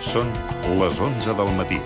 Són les 11 del matí.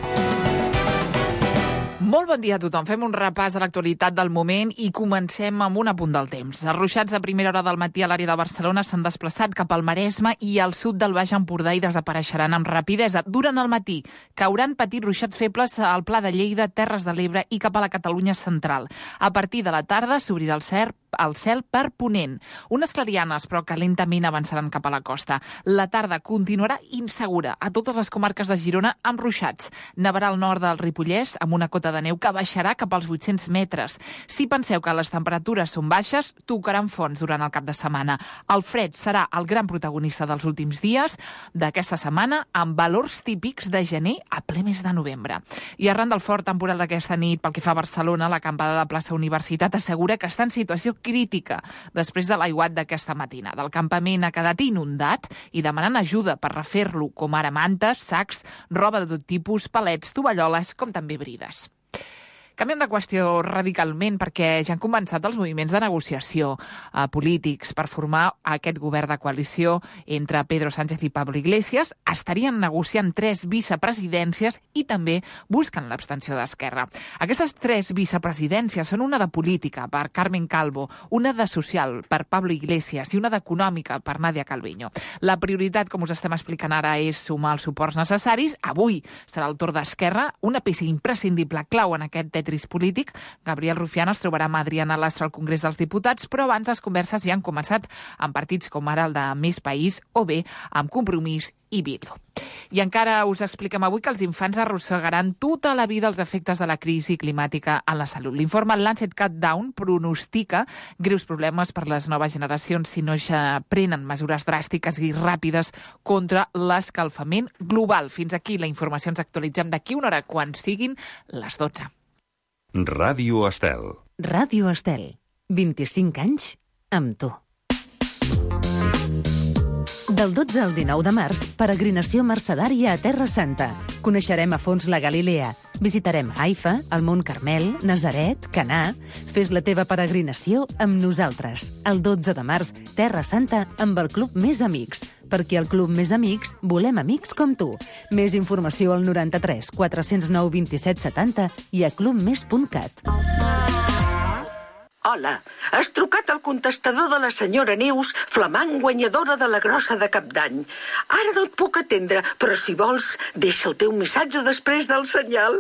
Molt bon dia a tothom. Fem un repàs a l'actualitat del moment i comencem amb un apunt del temps. Els ruixats de primera hora del matí a l'àrea de Barcelona s'han desplaçat cap al Maresme i al sud del Baix Empordà i desapareixeran amb rapidesa. Durant el matí cauran petits ruixats febles al Pla de Lleida, Terres de l'Ebre i cap a la Catalunya central. A partir de la tarda s'obrirà el cel per ponent. Unes clarianes, però que lentament avançaran cap a la costa. La tarda continuarà insegura a totes les comarques de Girona amb ruixats. Nevarà al nord del Ripollès amb una cota de neu que baixarà cap als 800 metres. Si penseu que les temperatures són baixes, tocaran fons durant el cap de setmana. El fred serà el gran protagonista dels últims dies d'aquesta setmana, amb valors típics de gener a ple mes de novembre. I arran del fort temporal d'aquesta nit, pel que fa a Barcelona, l'acampada de plaça Universitat assegura que està en situació crítica després de l'aiguat d'aquesta matina. Del campament ha quedat inundat i demanant ajuda per refer-lo, com ara mantes, sacs, roba de tot tipus, palets, tovalloles, com també brides. Canviem de qüestió radicalment perquè ja han començat els moviments de negociació polítics per formar aquest govern de coalició entre Pedro Sánchez i Pablo Iglesias. Estarien negociant 3 vicepresidències i també busquen l'abstenció d'Esquerra. Aquestes 3 vicepresidències són una de política per Carmen Calvo, una de social per Pablo Iglesias i una d'econòmica per Nadia Calviño. La prioritat, com us estem explicant ara, és sumar els suports necessaris. Avui serà el torn d'Esquerra, una peça imprescindible clau en aquest tetris polític. Gabriel Rufián es trobarà amb Adriana Lastra al Congrés dels Diputats, però abans les converses ja han començat amb partits com ara el de Més País o bé amb Compromís i Bildu. I encara us expliquem avui que els infants arrossegaran tota la vida els efectes de la crisi climàtica en la salut. L'informe Lancet Countdown pronostica greus problemes per les noves generacions si no ja prenen mesures dràstiques i ràpides contra l'escalfament global. Fins aquí la informació. Ens actualitzem d'aquí una hora quan siguin les 12. Ràdio Estel. Ràdio Estel. 25 anys amb tu. Del 12 al 19 de març, peregrinació mercedària a Terra Santa. Coneixerem a fons la Galilea. Visitarem Haifa, el Mont Carmel, Nazaret, Canà. Fes la teva peregrinació amb nosaltres. El 12 de març, Terra Santa amb el Club Més Amics. Perquè al Club Més Amics volem amics com tu. Més informació al 93 409 27 70 i a clubmes.cat. Hola, has trucat al contestador de la senyora Neus, flamant guanyadora de la grossa de Cap d'Any. Ara no et puc atendre, però si vols, deixa el teu missatge després del senyal.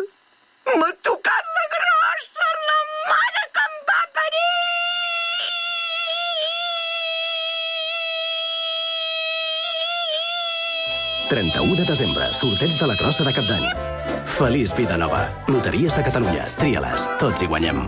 M'ha tocat la grossa, la mare que em va parir! 31 de desembre, sorteig de la grossa de Cap d'Any. Feliç vida nova. Loteries de Catalunya. Tria-les. Tots hi guanyem.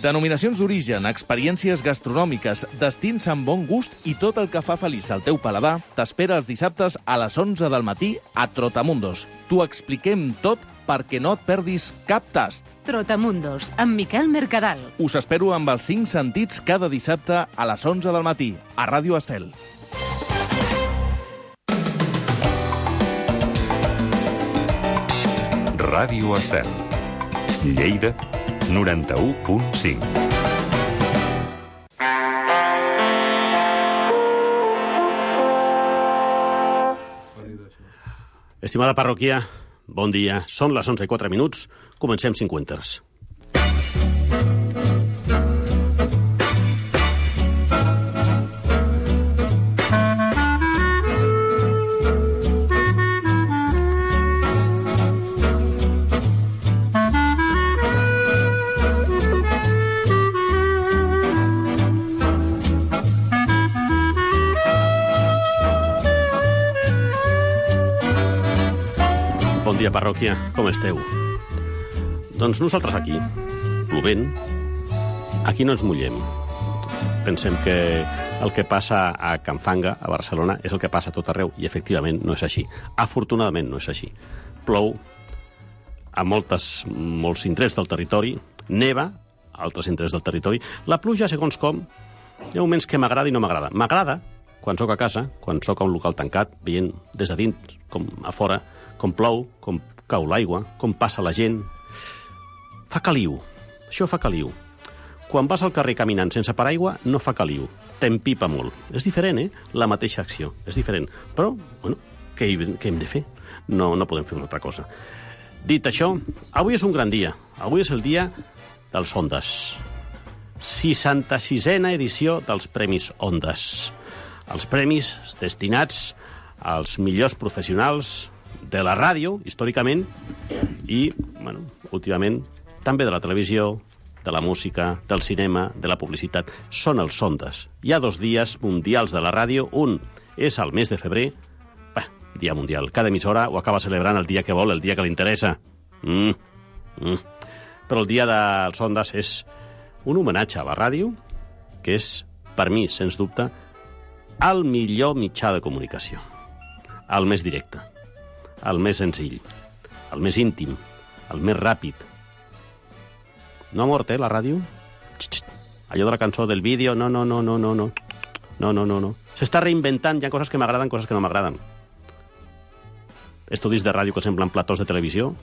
Denominacions d'origen, experiències gastronòmiques, destins amb bon gust i tot el que fa feliç al teu paladar t'espera els dissabtes a les 11 del matí a Trotamundos. T'ho expliquem tot perquè no et perdis cap tast. Trotamundos, amb Miquel Mercadal. Us espero amb els 5 sentits cada dissabte a les 11 del matí a Ràdio Estel. Ràdio Estel. Lleida, 91.5. Estimada parròquia, bon dia. Són les 11:04. Comencem 50. Bon dia, parròquia. Com esteu? Doncs nosaltres aquí, plovent, aquí no ens mullem. Pensem que el que passa a Can Fanga, a Barcelona, és el que passa a tot arreu, i efectivament no és així. Afortunadament no és així. Plou a molts indrets del territori, neva a altres indrets del territori. La pluja, segons com, hi ha moments que m'agrada i no m'agrada. M'agrada quan sóc a casa, quan sóc a un local tancat, veient des de dins com a fora, com plou, com cau l'aigua, com passa la gent. Fa caliu. Això fa caliu. Quan vas al carrer caminant sense paraigua, no fa caliu. T'empipa molt. És diferent, La mateixa acció. És diferent. Però, bueno, què hem de fer? No podem fer una altra cosa. Dit això, avui és un gran dia. Avui és el dia dels Ondas. 66a edició dels Premis Ondas. Els premis destinats als millors professionals de la ràdio, històricament, i, bueno, últimament, també de la televisió, de la música, del cinema, de la publicitat. Són els Ondas. Hi ha 2 dies mundials de la ràdio. Un és al mes de febrer, dia mundial. Cada emissora ho acaba celebrant el dia que vol, el dia que li interessa. Però el dia dels Ondas és un homenatge a la ràdio, que és, per mi, sens dubte, el millor mitjà de comunicació. El més directe, el més senzill, el més íntim, el més ràpid. No ha mort, la ràdio? Allò de la cançó del vídeo, no. S'està reinventant, hi ha coses que m'agraden, coses que no m'agraden. Estudis de ràdio que semblen platós de televisió.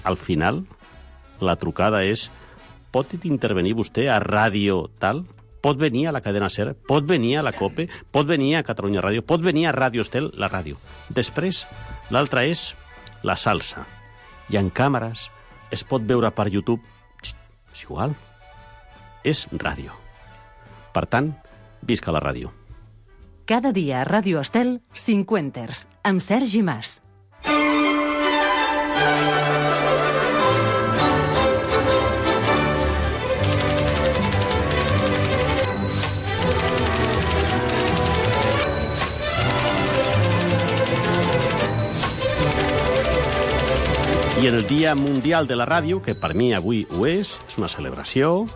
Al final, la trucada és: pot intervenir vostè a ràdio tal? Pot venir a la cadena SER? Pot venir a la COPE? Pot venir a Catalunya Ràdio? Pot venir a Ràdio Estel? La ràdio. Després, l'altra és la salsa. Hi ha càmeres, es pot veure per YouTube. És igual. És ràdio. Per tant, visca la ràdio. Cada dia a Ràdio Estel, 50ers, amb Sergi Mas. I en el Dia Mundial de la Ràdio, que per mi avui ho és una celebració.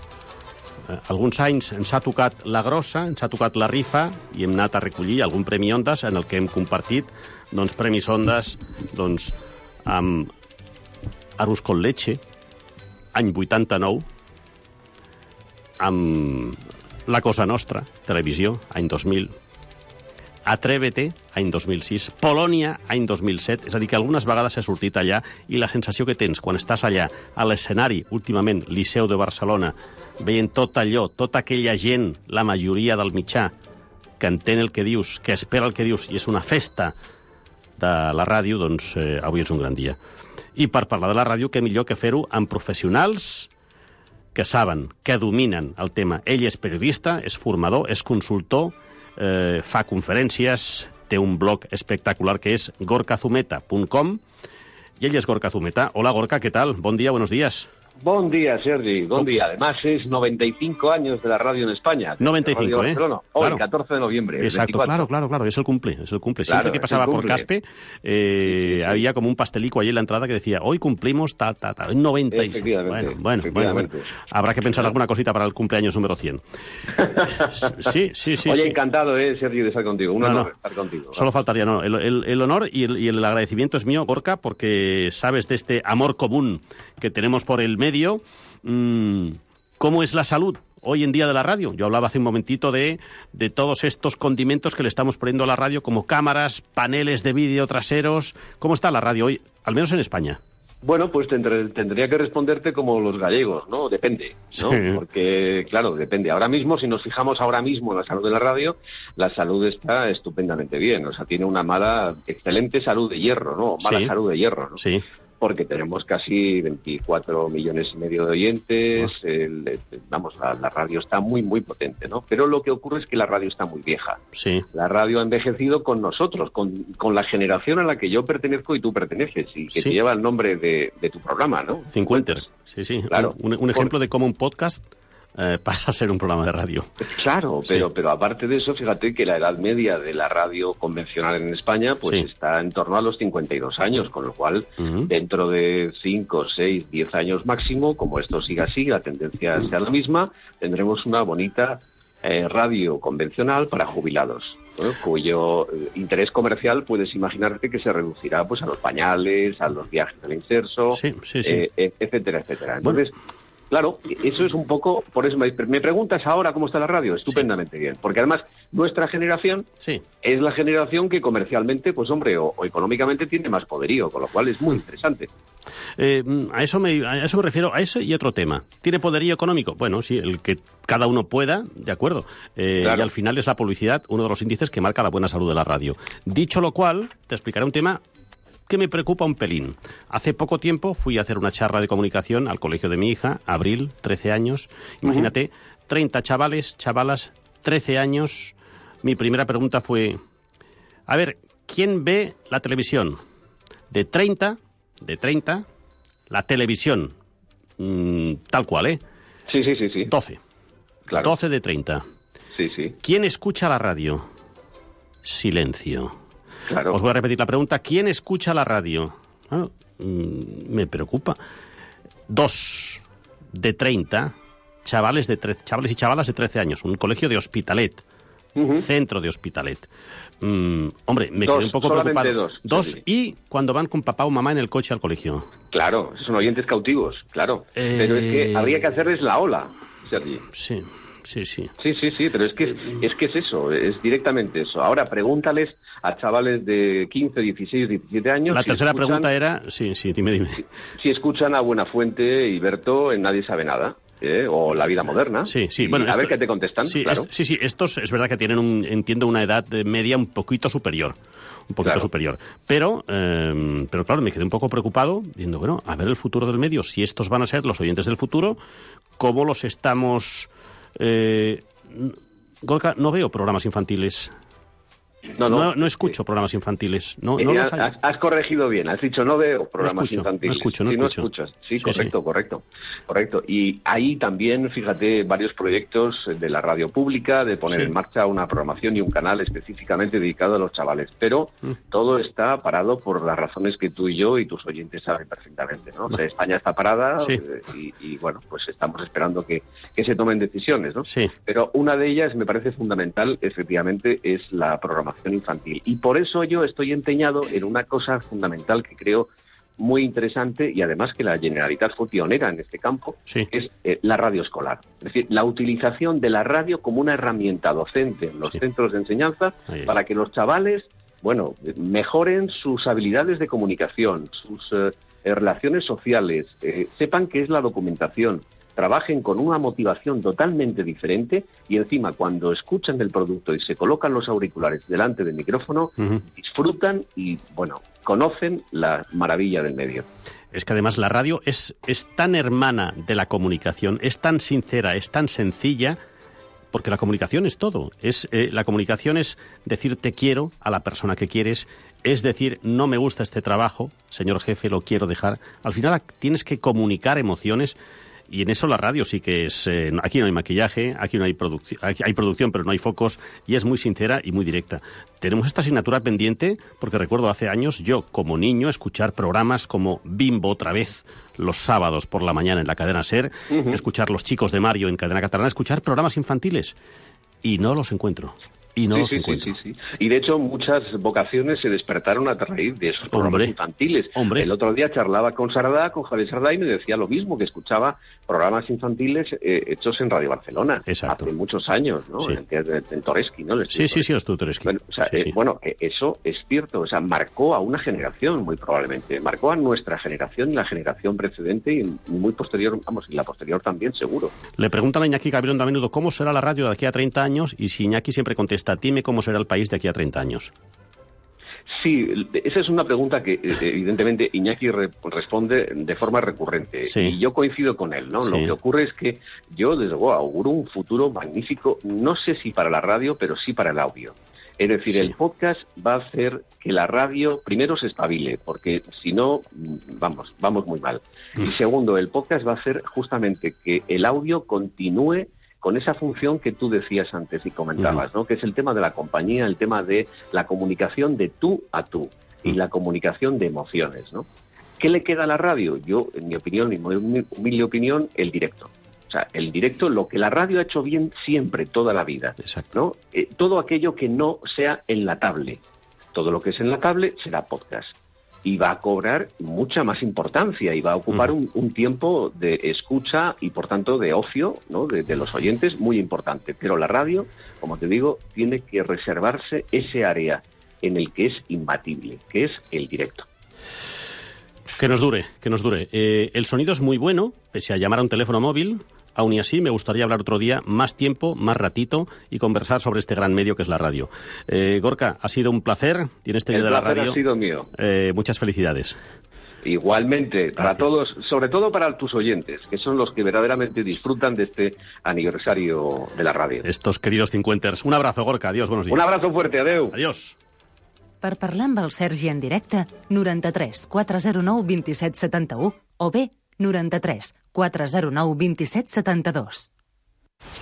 Alguns anys ens ha tocat la grossa, ens ha tocat la rifa, i hem anat a recollir algun Premi Ondas en el que hem compartit Premis Ondas amb Arús con Leche, any 89, amb La Cosa Nostra, televisió, any 2000, Atrévete, any 2006, Polònia, any 2007, és a dir, que algunes vegades he sortit allà i la sensació que tens quan estàs allà, a l'escenari, últimament, Liceu de Barcelona, veient tot allò, tota aquella gent, la majoria del mitjà, que entén el que dius, que espera el que dius, i és una festa de la ràdio, doncs avui és un gran dia. I per parlar de la ràdio, què millor que fer-ho amb professionals que saben, que dominen el tema. Ell és periodista, és formador, és consultor, fa conferències, té un blog espectacular que és gorkazumeta.com, y ella es Gorka Zumeta. Hola Gorka, ¿qué tal? Buen día, buenos días. Buen día, Sergi, buen día. Además es 95 años de la radio en España. 95, Hoy, claro. 14 de noviembre. Exacto, 24. claro, es el cumple. Claro, siempre que pasaba por Caspe, había como un pastelico allí en la entrada que decía, hoy cumplimos 95. Bueno, habrá que pensar alguna cosita para el cumpleaños número 100. Sí. Oye, encantado, Sergi, de estar contigo. Un honor estar contigo. Solo faltaría, el honor y el agradecimiento es mío, Gorka, porque sabes de este amor común que tenemos por el medio. ¿Cómo es la salud hoy en día de la radio? Yo hablaba hace un momentito de todos estos condimentos que le estamos poniendo a la radio, como cámaras, paneles de vídeo traseros. ¿Cómo está la radio hoy, al menos en España? Bueno, pues tendría que responderte como los gallegos, ¿no? Depende, ¿no? Sí. Porque, claro, depende. Ahora mismo, si nos fijamos ahora mismo en la salud de la radio, la salud está estupendamente bien. O sea, tiene una excelente salud de hierro, ¿no? Mala salud de hierro, ¿no? Sí. Porque tenemos casi 24 millones y medio de oyentes, la radio está muy, muy potente, ¿no? Pero lo que ocurre es que la radio está muy vieja. Sí. La radio ha envejecido con nosotros, con la generación a la que yo pertenezco y tú perteneces, y que te lleva el nombre de tu programa, ¿no? 50. Sí. Claro. Un ejemplo de cómo un podcast pasa a ser un programa de radio. Claro, pero aparte de eso, fíjate que la edad media de la radio convencional en España pues está en torno a los 52 años, con lo cual dentro de 5, 6, 10 años máximo, como esto siga así, la tendencia sea la misma, tendremos una bonita radio convencional para jubilados, ¿no? Cuyo interés comercial puedes imaginarte que se reducirá pues a los pañales, a los viajes del inserso, etcétera. Entonces, Claro, eso es un poco, por eso me preguntas ahora cómo está la radio, estupendamente bien, porque además nuestra generación es la generación que comercialmente, pues hombre, o económicamente tiene más poderío, con lo cual es muy interesante. A eso me refiero, a ese y otro tema. ¿Tiene poderío económico? Bueno, sí, el que cada uno pueda, de acuerdo. Claro. Y al final es la publicidad uno de los índices que marca la buena salud de la radio. Dicho lo cual, te explicaré un tema que me preocupa un pelín. Hace poco tiempo fui a hacer una charla de comunicación al colegio de mi hija, Abril, 13 años. Imagínate, 30 chavales, chavalas, 13 años. Mi primera pregunta fue, a ver, ¿quién ve la televisión? De 30, la televisión, tal cual, ¿eh? Sí. 12. Claro. 12 de 30. Sí. ¿Quién escucha la radio? Silencio. Claro. Os voy a repetir la pregunta. ¿Quién escucha la radio? Me preocupa. 2 de 30, chavales y chavalas de 13 años. Un colegio de Hospitalet. Centro de Hospitalet. Hombre, me quedé un poco preocupado. Dos y cuando van con papá o mamá en el coche al colegio. Claro, son oyentes cautivos, claro. Pero es que habría que hacerles la ola, Sergi. Sí. Sí, pero es que es eso, es directamente eso. Ahora pregúntales a chavales de 15, 16, 17 años... La tercera pregunta era... Sí, dime. Si escuchan a Buenafuente y Berto en Nadie sabe nada, o La vida moderna. Sí. Bueno, a ver qué te contestan, claro. Sí, estos es verdad que tienen, entiendo, una edad media un poquito superior. Pero claro, me quedé un poco preocupado, diciendo, bueno, a ver el futuro del medio, si estos van a ser los oyentes del futuro, ¿cómo los estamos...? Gorka, no veo programas infantiles. No escucho programas infantiles. No los hay. Has corregido bien, has dicho no veo programas infantiles. No escuchas. Sí, correcto. Y ahí también, fíjate, varios proyectos de la radio pública de poner en marcha una programación y un canal específicamente dedicado a los chavales. Pero todo está parado por las razones que tú y yo y tus oyentes saben perfectamente, ¿no? O sea, España está parada y bueno, pues estamos esperando que se tomen decisiones, ¿no? Sí. Pero una de ellas me parece fundamental, efectivamente, es la programación infantil. Y por eso yo estoy empeñado en una cosa fundamental que creo muy interesante y además que la Generalitat fue pionera en este campo, es la radio escolar. Es decir, la utilización de la radio como una herramienta docente en los centros de enseñanza para que los chavales, bueno, mejoren sus habilidades de comunicación, sus relaciones sociales, sepan qué es la documentación, trabajen con una motivación totalmente diferente y encima cuando escuchan el producto y se colocan los auriculares delante del micrófono, disfrutan y, bueno, conocen la maravilla del medio. Es que además la radio es tan hermana de la comunicación, es tan sincera, es tan sencilla, porque la comunicación es todo. La comunicación es decir te quiero a la persona que quieres, es decir no me gusta este trabajo, señor jefe, lo quiero dejar. Al final tienes que comunicar emociones. Y en eso la radio sí que es... aquí no hay maquillaje, aquí no hay producción, hay producción, pero no hay focos, y es muy sincera y muy directa. Tenemos esta asignatura pendiente, porque recuerdo hace años, yo como niño, escuchar programas como Bimbo otra vez, los sábados por la mañana en la cadena SER, escuchar Los chicos de Mario en cadena catalana, escuchar programas infantiles, y no los encuentro. Sí. Y de hecho muchas vocaciones se despertaron a raíz de esos programas infantiles. El otro día charlaba con Javier Sardá y me decía lo mismo, que escuchaba programas infantiles hechos en Radio Barcelona. Exacto. Hace muchos años, ¿no? Sí. En Toresky, ¿no? Sí, estuvo Toresky. Bueno, eso es cierto, o sea, marcó a una generación muy probablemente, marcó a nuestra generación y la generación precedente y muy posterior, y la posterior también seguro. Le preguntan a Iñaki Gabilondo a menudo cómo será la radio de aquí a 30 años y si Iñaki siempre contesta, dime cómo será el país de aquí a 30 años. Sí, esa es una pregunta que evidentemente Iñaki responde de forma recurrente y yo coincido con él, ¿no? Lo que ocurre es que yo desde luego auguro un futuro magnífico, no sé si para la radio, pero sí para el audio. Es decir, el podcast va a hacer que la radio primero se espabile, porque si no, vamos muy mal. Y segundo, el podcast va a hacer justamente que el audio continúe con esa función que tú decías antes y comentabas, ¿no? Que es el tema de la compañía, el tema de la comunicación de tú a tú y la comunicación de emociones, ¿no? ¿Qué le queda a la radio? Yo, en mi opinión, mi humilde opinión, el directo. O sea, el directo, lo que la radio ha hecho bien siempre, toda la vida, ¿no? Todo aquello que no sea enlatable. Todo lo que es enlatable será podcast. y va a cobrar mucha más importancia y va a ocupar un tiempo de escucha y, por tanto, de ocio, ¿no?, de los oyentes muy importante. Pero la radio, como te digo, tiene que reservarse ese área en el que es imbatible, que es el directo. Que nos dure, que nos dure. El sonido es muy bueno, pese a llamar a un teléfono móvil. Aún y así, me gustaría hablar otro día, más tiempo, más ratito, y conversar sobre este gran medio que es la radio. Gorka, ha sido un placer. Tienes este día de la radio. El placer ha sido mío. Muchas felicidades. Igualmente, para todos, sobre todo para tus oyentes, que son los que verdaderamente disfrutan de este aniversario de la radio. Estos queridos cincuenters. Un abrazo, Gorka. Adiós, buenos días. Un abrazo fuerte, adeu. Adiós. Per parlar amb el Sergi en directe, 93 409 27 71 o bé 93 409 27 72.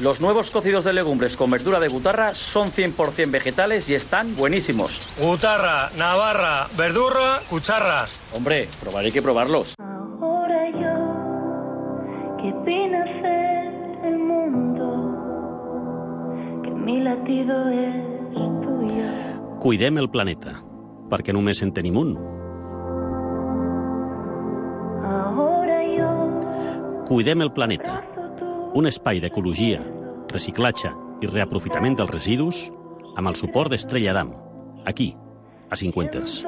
Los nuevos cocidos de legumbres con verdura de butarra son 100% vegetales y están buenísimos. Butarra, navarra, verdurra, cucharras. Hombre, probaré que probarlos. Ahora yo, que vine a ser el mundo, que mi latido es tuyo. Cuidem el planeta, perquè només en tenim un. Ahora yo, Cuidem el planeta, un espai d'ecologia, reciclatge i reaprofitament dels residus amb el suport d'Estrella Damm, aquí, a Cincuenters.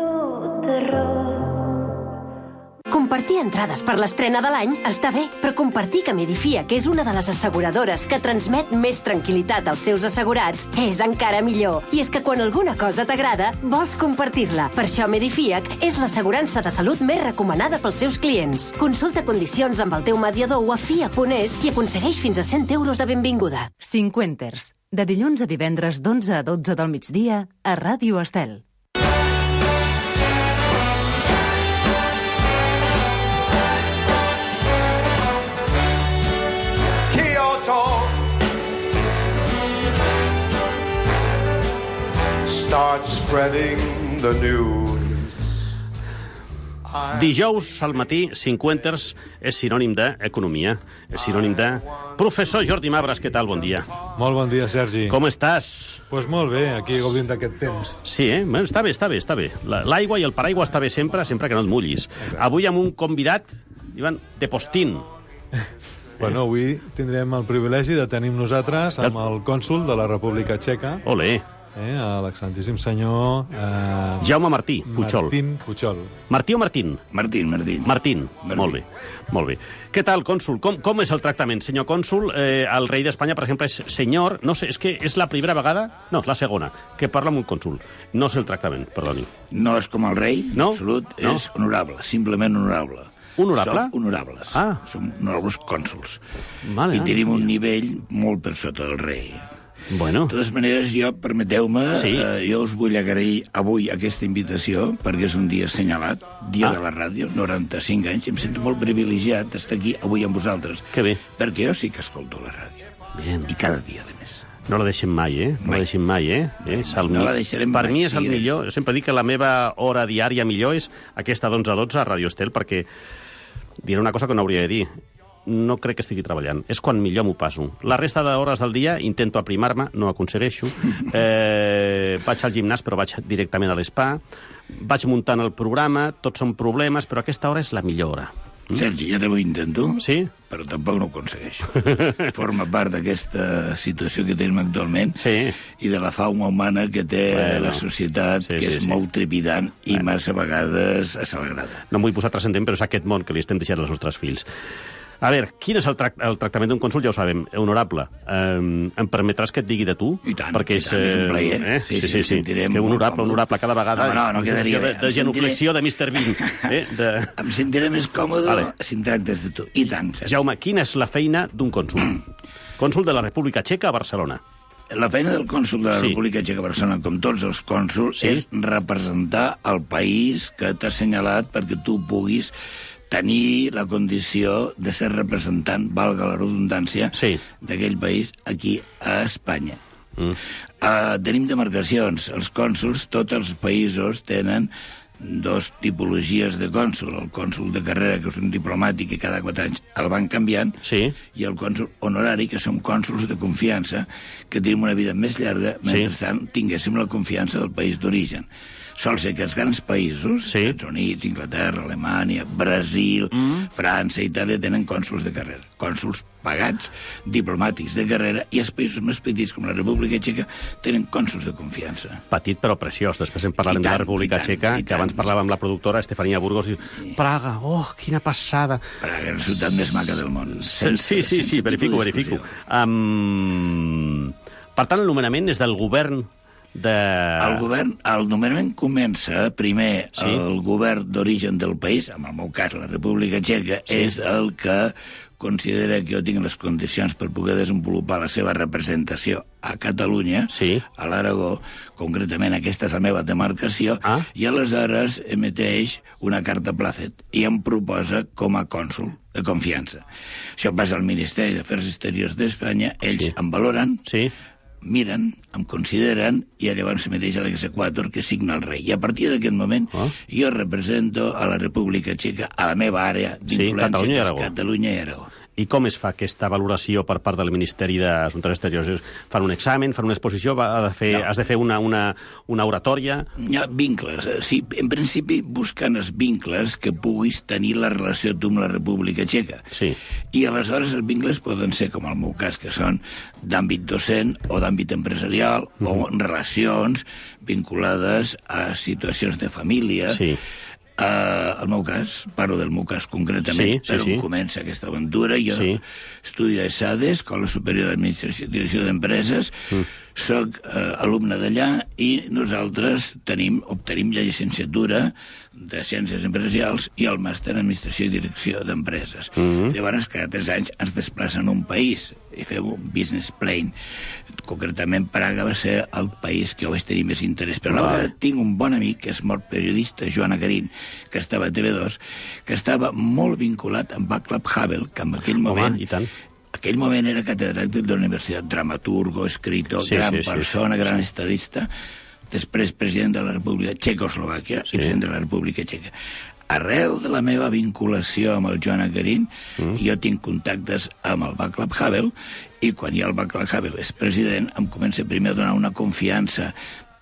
Compartir entrades per l'estrena de l'any està bé, però compartir que Medifia, que és una de les asseguradores que transmet més tranquil·litat als seus assegurats, és encara millor. I és que quan alguna cosa t'agrada, vols compartir-la. Per això Medifiac és l'assegurança de salut més recomanada pels seus clients. Consulta condicions amb el teu mediador o a FIA.es i aconsegueix fins a 100 euros de benvinguda. Cincuenters, de dilluns a divendres d'11 a 12 del migdia a Ràdio Estel. Start spreading the news. Dijous al matí, Cincuenters és sinònim d'economia, és sinònim de... Professor Jordi Mabras, què tal? Bon dia. Molt bon dia, Sergi. Com estàs? Pues molt bé, aquí gaudint d'aquest temps. Sí, està bé, està bé, està bé. L'aigua i el paraigua està bé sempre, sempre que no et mullis. Avui amb un convidat, diuen, de postín. Bueno, avui tindrem el privilegi de tenir nosaltres amb el cònsol de la República Txeca. Olé. L'excelentíssim senyor... Jaume Martí Puchol. Martín Puchol. Martí o Martín? Martín. Martín, molt bé, molt bé. Què tal, cònsol? Com és el tractament? Senyor cònsol, el rei d'Espanya, per exemple, és senyor... No sé, és que és la primera vegada... No, la segona, que parla amb un cònsol. No sé el tractament, perdoni. No és com el rei, no? Absolut, no? És honorable, simplement honorable. Honorable? Som honorables. Som honorables cònsols. Vale, I tenim un nivell molt per sota del rei. Bueno. De totes maneres, permeteu-me, jo us vull agrair avui aquesta invitació, perquè és un dia assenyalat, dia de la ràdio, 95 anys, i em sento molt privilegiat d'estar aquí avui amb vosaltres. Que bé. Perquè jo sí que escolto la ràdio. Bien. I cada dia, a més. No la deixem mai, No la deixem mai, No la deixarem mai. Per mi és el millor. Jo sempre dic que la meva hora diària millor és aquesta d'11 a 12 a Ràdio Estel, perquè diré una cosa que no hauria de dir. No crec que estigui treballant. És quan millor m'ho passo. La resta d'hores del dia intento aprimar-me, no aconsegueixo. Vaig al gimnàs, però vaig directament a l'spa. Vaig muntant el programa, tots són problemes, però aquesta hora és la millor hora. Sergi, jo també ho intento, sí? Però tampoc no ho aconsegueixo. Forma part d'aquesta situació que tenim actualment i de la fauna humana que té la societat, que és molt trepidant i massa vegades assagrada. No em vull posar transcendent, però és aquest món que li estem deixant als nostres fills. A veure, quin és el tractament d'un cònsol? Ja ho sabem, honorable. Em permetràs que et digui de tu? I tant, perquè és un plaer. Sí. Que honorable cada vegada. No quedaria bé. De genuflexió de Mr. Bean. Em sentiré més còmode si em tractes de tu. I tant. Jaume, quina és la feina d'un cònsol? Cònsol de la República Txeca a Barcelona. La feina del cònsol de la República Txeca a Barcelona, com tots els cònsols, és representar el país que t'ha assenyalat perquè tu puguis tenir la condició de ser representant, valga la redundància, d'aquell país aquí a Espanya. Tenim demarcacions. Els cònsols, tots els països tenen dos tipologies de cònsul. El cònsul de carrera, que és un diplomàtic, que cada 4 anys el van canviant, i el cònsul honorari, que són cònsuls de confiança, que tenim una vida més llarga, mentrestant tinguéssim la confiança del país d'origen. Sol ser que els grans països, Estats Units, Inglaterra, Alemanya, Brasil, França, Itàlia, tenen cònsuls de carrera. Cònsuls pagats, diplomàtics de carrera, i els països més petits, com la República Txeca, tenen cònsuls de confiança. Petit però preciós. Després en parlarem de la República Txeca, que abans parlàvem amb la productora Estefania Burgos, i Praga, quina passada. Praga és la ciutat més maca del món. Sí, verifico. Per tant, el nomenament és del govern El nomenament comença primer el govern d'origen del país, en el meu cas la República Txeca, és el que considera que jo tinc les condicions per poder desenvolupar la seva representació a Catalunya, a l'Aragó, concretament aquesta és la meva demarcació, i aleshores emeteix una carta plàcet i em proposa com a cònsul de confiança. Això passa al Ministeri d'Afers Exteriors d'Espanya, ells em valoren, miren, em consideren, i llavors s'emeteix a l'exequator que signa el rei. I a partir d'aquest moment jo represento a la República Txeca, a la meva àrea d'influència, que és Catalunya i Aragó. I com es fa aquesta valoració per part del Ministeri d'Assumptes Exteriors? Fan un examen, fan una exposició, has de fer una oratòria? Hi ha vincles. Sí, en principi busquen els vincles que puguis tenir la relació tu amb la República Txeca. I aleshores els vincles poden ser, com el meu cas, que són d'àmbit docent o d'àmbit empresarial o relacions vinculades a situacions de família. El meu cas, parlo del meu cas concretament, però comença aquesta aventura. Jo estudio a ESADE, Escola Superior d'Administració i Direcció d'Empreses, soc alumne d'allà i nosaltres obtenim la llicenciatura de Ciències Empresarials i el màster en Administració i Direcció d'Empreses. Llavors, cada 3 anys ens desplacen a un país i fem un business plan. Concretament, Praga va ser el país que jo vaig tenir més interès. Però a la vegada tinc un bon amic, que és molt periodista, Joan Acarín, que estava a TV2, que estava molt vinculat amb Václav Havel, que en aquell moment... aquell moment era catedràtic de la Universitat, dramaturgo, escritor, gran persona, gran estadista, després president de la República Txecoslovàquia i president de la República Txeca. Arrel de la meva vinculació amb el Joan Acarín, jo tinc contactes amb el Václav Havel, i quan ja el Václav Havel és president, em comença primer a donar una confiança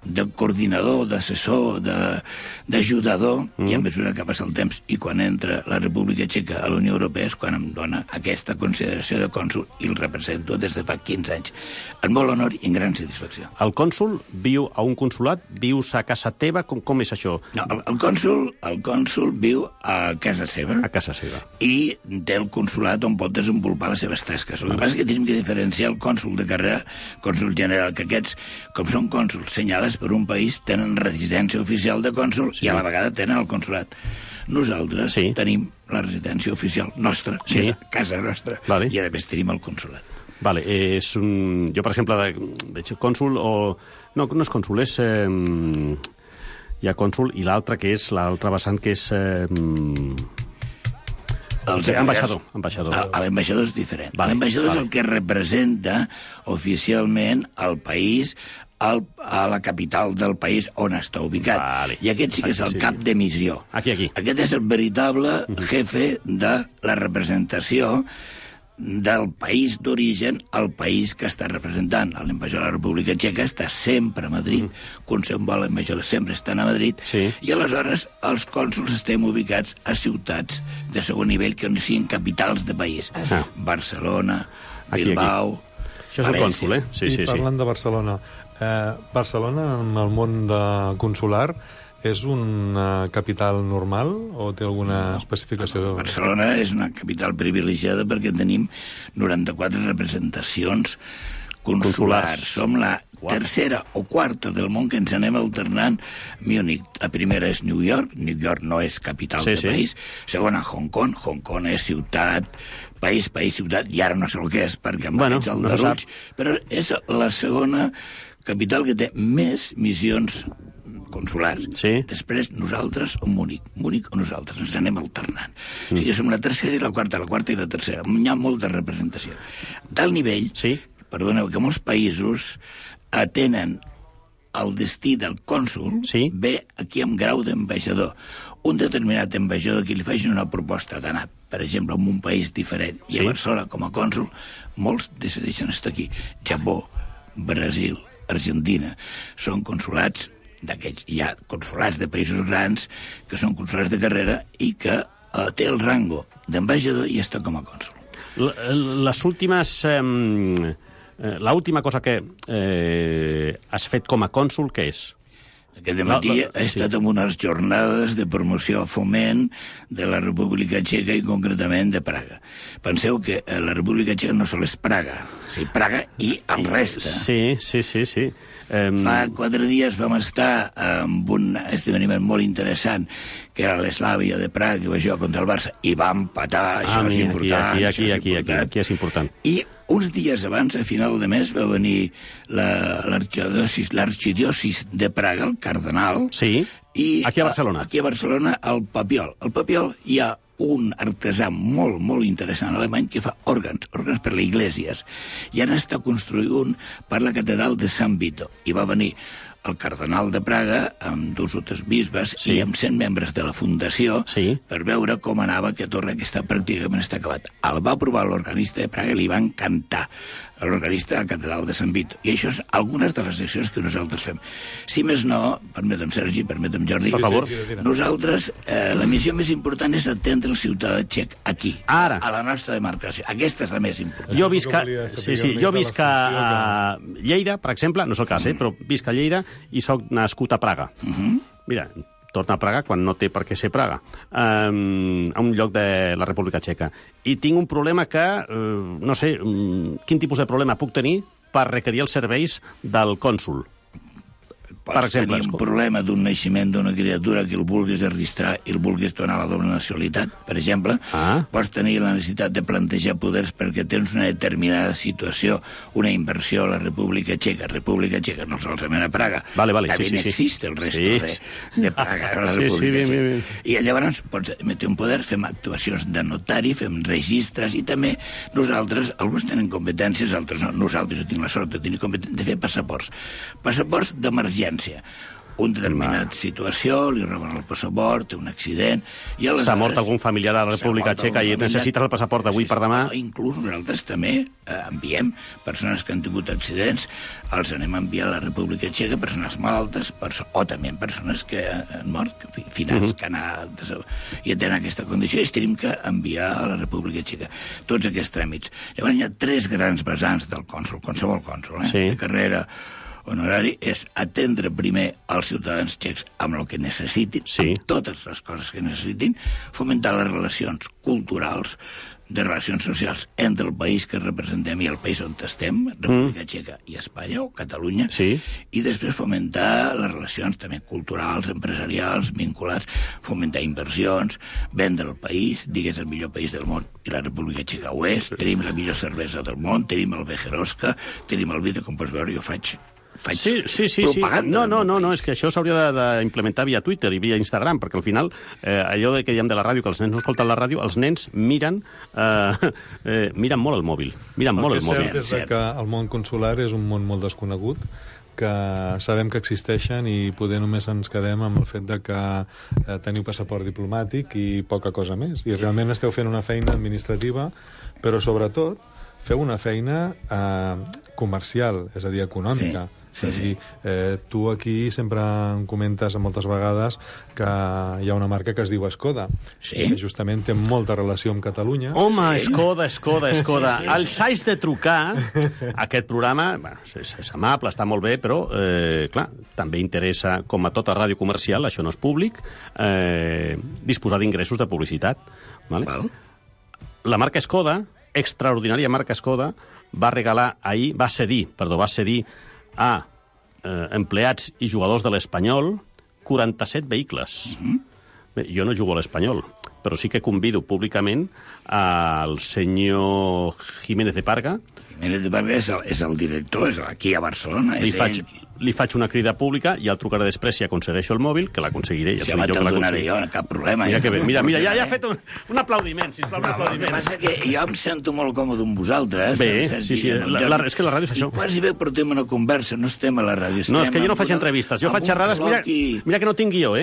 de coordinador, d'assessor, d'ajudador, i a mesura que passa el temps i quan entra la República Txeca a la Unió Europea és quan em dona aquesta consideració de cònsul i el represento des de fa 15 anys. En molt honor i en gran satisfacció. El cònsul viu a un consulat? Vius a casa teva? Com és això? No, el cònsul viu a casa seva. A casa seva. I té el consulat on pot desenvolupar les seves tasques. El que passa és que tenim que diferenciar el cònsul de carrera, cònsul general, que aquests, com són cònsuls senyalats per un país, tenen residència oficial de cònsul i a la vegada tenen el consulat. Nosaltres tenim la residència oficial nostra, que és casa nostra, i a més tenim el consulat. Jo, per exemple, veig cònsul o... No és cònsul, és... Hi ha cònsul i l'altre que és, l'altre vessant que és... Ambaixador. L'ambaixador és diferent. L'ambaixador és el que representa oficialment el país a la capital del país on està ubicat. I aquest sí que és el cap de missió. Aquest és el veritable jefe de la representació del país d'origen al país que està representant. L'ambaixador de la República Txeca està sempre a Madrid, qualsevol ambaixador sempre està a Madrid, i aleshores els cònsuls estem ubicats a ciutats de segon nivell que no siguin capitals de país. Barcelona, Bilbao... Això és el cònsul, I parlant de Barcelona, Barcelona, en el món consular, és una capital normal o té alguna especificació? Barcelona és una capital privilegiada perquè tenim 94 representacions consulars. Som la tercera o quarta del món que ens anem alternant. Múnich, la primera és New York no és capital del país. Segona, Hong Kong és ciutat, país, ciutat, i ara no sé el que és, perquè em vaig al deruig, però és la segona capital que té més missions consulars. Després nosaltres o Múnich o nosaltres, ens anem alternant. O sigui, som la tercera i la quarta i la tercera. Hi ha molta representació. Tal nivell, perdoneu, que molts països tenen el destí del cònsul ve aquí amb grau d'ambaixador. Un determinat ambaixador que li facin una proposta d'anar, per exemple, en un país diferent, i a Barcelona, com a cònsul, molts decideixen estar aquí. Japó, Brasil, Argentina, són consulats d'aquests. Hi ha consulats de països grans que són consulats de carrera i que té el rango d'ambaixador i està com a cònsul. L'última cosa que has fet com a cònsul, què és? Aquest matí he estat en unes jornades de promoció a foment de la República Txeca i concretament de Praga. Penseu que la República Txeca no sols és Praga, Praga i el reste. Sí. Fa 4 dies vam estar en un esdeveniment molt interessant que era l'Eslàvia de Praga, que va jugar contra el Barça, i va empatar, això és important. Aquí és important. I uns dies abans, a final de mes, va venir l'arxidiòcis de Praga, el cardenal. Sí, aquí a Barcelona. Aquí a Barcelona, el Papiol. Al Papiol hi ha un artesà molt, molt interessant alemany que fa òrgans per les Iglesias. I ara està construint un per la catedral de Sant Vito. I va venir el cardenal de Praga amb 2 o 3 bisbes i amb 100 membres de la fundació per veure com anava aquest torre que pràcticament està acabat. El va provar l'organista de Praga i li va encantar l'organista de la catedral de Sant Vito. I això és algunes de les seccions que nosaltres fem. Si més no, permetem Sergi, permetem Jordi, per favor, nosaltres la missió més important és atendre el ciutadà txec aquí, a la nostra demarcació. Aquesta és la més important. Jo visc a Lleida, per exemple, no és el cas, però visc a Lleida i soc nascut a Praga. Mira, torna a Praga quan no té per què ser Praga, a un lloc de la República Txeca. I tinc un problema que, no sé, quin tipus de problema puc tenir per requerir els serveis del cònsul? Pots tenir un problema d'un naixement d'una criatura que el vulguis registrar i el vulguis donar a la doble nacionalitat, per exemple. Pots tenir la necessitat de plantejar poders perquè tens una determinada situació, una inversió a la República Txeca, no solament a Praga, també existe el resto de Praga, a la República Txeca. I llavors pots emetre un poder, fem actuacions de notari, fem registres, i també nosaltres, alguns tenen competències, altres no. Nosaltres, jo tinc la sort de tenir competències de fer passaports d'emergència. Un determinat situació, li roben el passaport, té un accident... S'ha mort algun familiar a la República Txeca i necessites el passaport d'avui per demà? Inclús nosaltres també enviem persones que han tingut accidents, els anem a enviar a la República Txeca, persones malaltes, o també persones que han mort, finals que han anat i tenen aquesta condició, i tenim que enviar a la República Txeca. Tots aquests tràmits. Llavors hi ha 3 grans vessants del cònsul, qualsevol cònsul, de carrera honorari, és atendre primer els ciutadans txecs amb el que necessitin, amb totes les coses que necessitin, fomentar les relacions culturals, de relacions socials entre el país que representem i el país on estem, República Txeca i Espanya, o Catalunya, i després fomentar les relacions també culturals, empresarials, vinculats, fomentar inversions, vendre el país, digues el millor país del món, i la República Txeca ho és, tenim la millor cervesa del món, tenim el Becherovka, tenim el vidre, com pots veure, jo faig propaganda. No, és que això s'hauria d'implementar via Twitter i via Instagram, perquè al final, allò que diem de la ràdio, que els nens no escolten la ràdio, els nens miren molt el mòbil. El que és cert és que el món consular és un món molt desconegut, que sabem que existeixen i poder només ens quedem amb el fet de que teniu passaport diplomàtic i poca cosa més. I realment esteu fent una feina administrativa, però sobretot feu una feina comercial, és a dir, econòmica. És a dir, tu aquí sempre em comentes moltes vegades que hi ha una marca que es diu Skoda, que justament té molta relació amb Catalunya. Home, Skoda. Els haig de trucar. Aquest programa és amable, està molt bé, però, clar, també interessa, com a tota ràdio comercial, això no és públic, disposar d'ingressos de publicitat. La marca Skoda, extraordinària marca Skoda, va cedir a empleats i jugadors de l'Espanyol 47 vehicles. Bé, jo no jugo a l'Espanyol, però sí que convido públicament al senyor Jiménez de Parga. Jiménez de Parga és el director, és aquí a Barcelona. li faig una crida pública i el trucaré després si aconsegueixo el mòbil, que l'aconseguiré. Si abans te'l donaré jo, cap problema. Mira que bé, mira, ja ha fet un aplaudiment, sisplau, un aplaudiment. El que passa que jo em sento molt còmode amb vosaltres. Bé, sí, és que la ràdio és això. I quasi bé portem una conversa, no estem a la ràdio. No, és que jo no faig entrevistes, jo faig xerrades, mira que no tinc guió,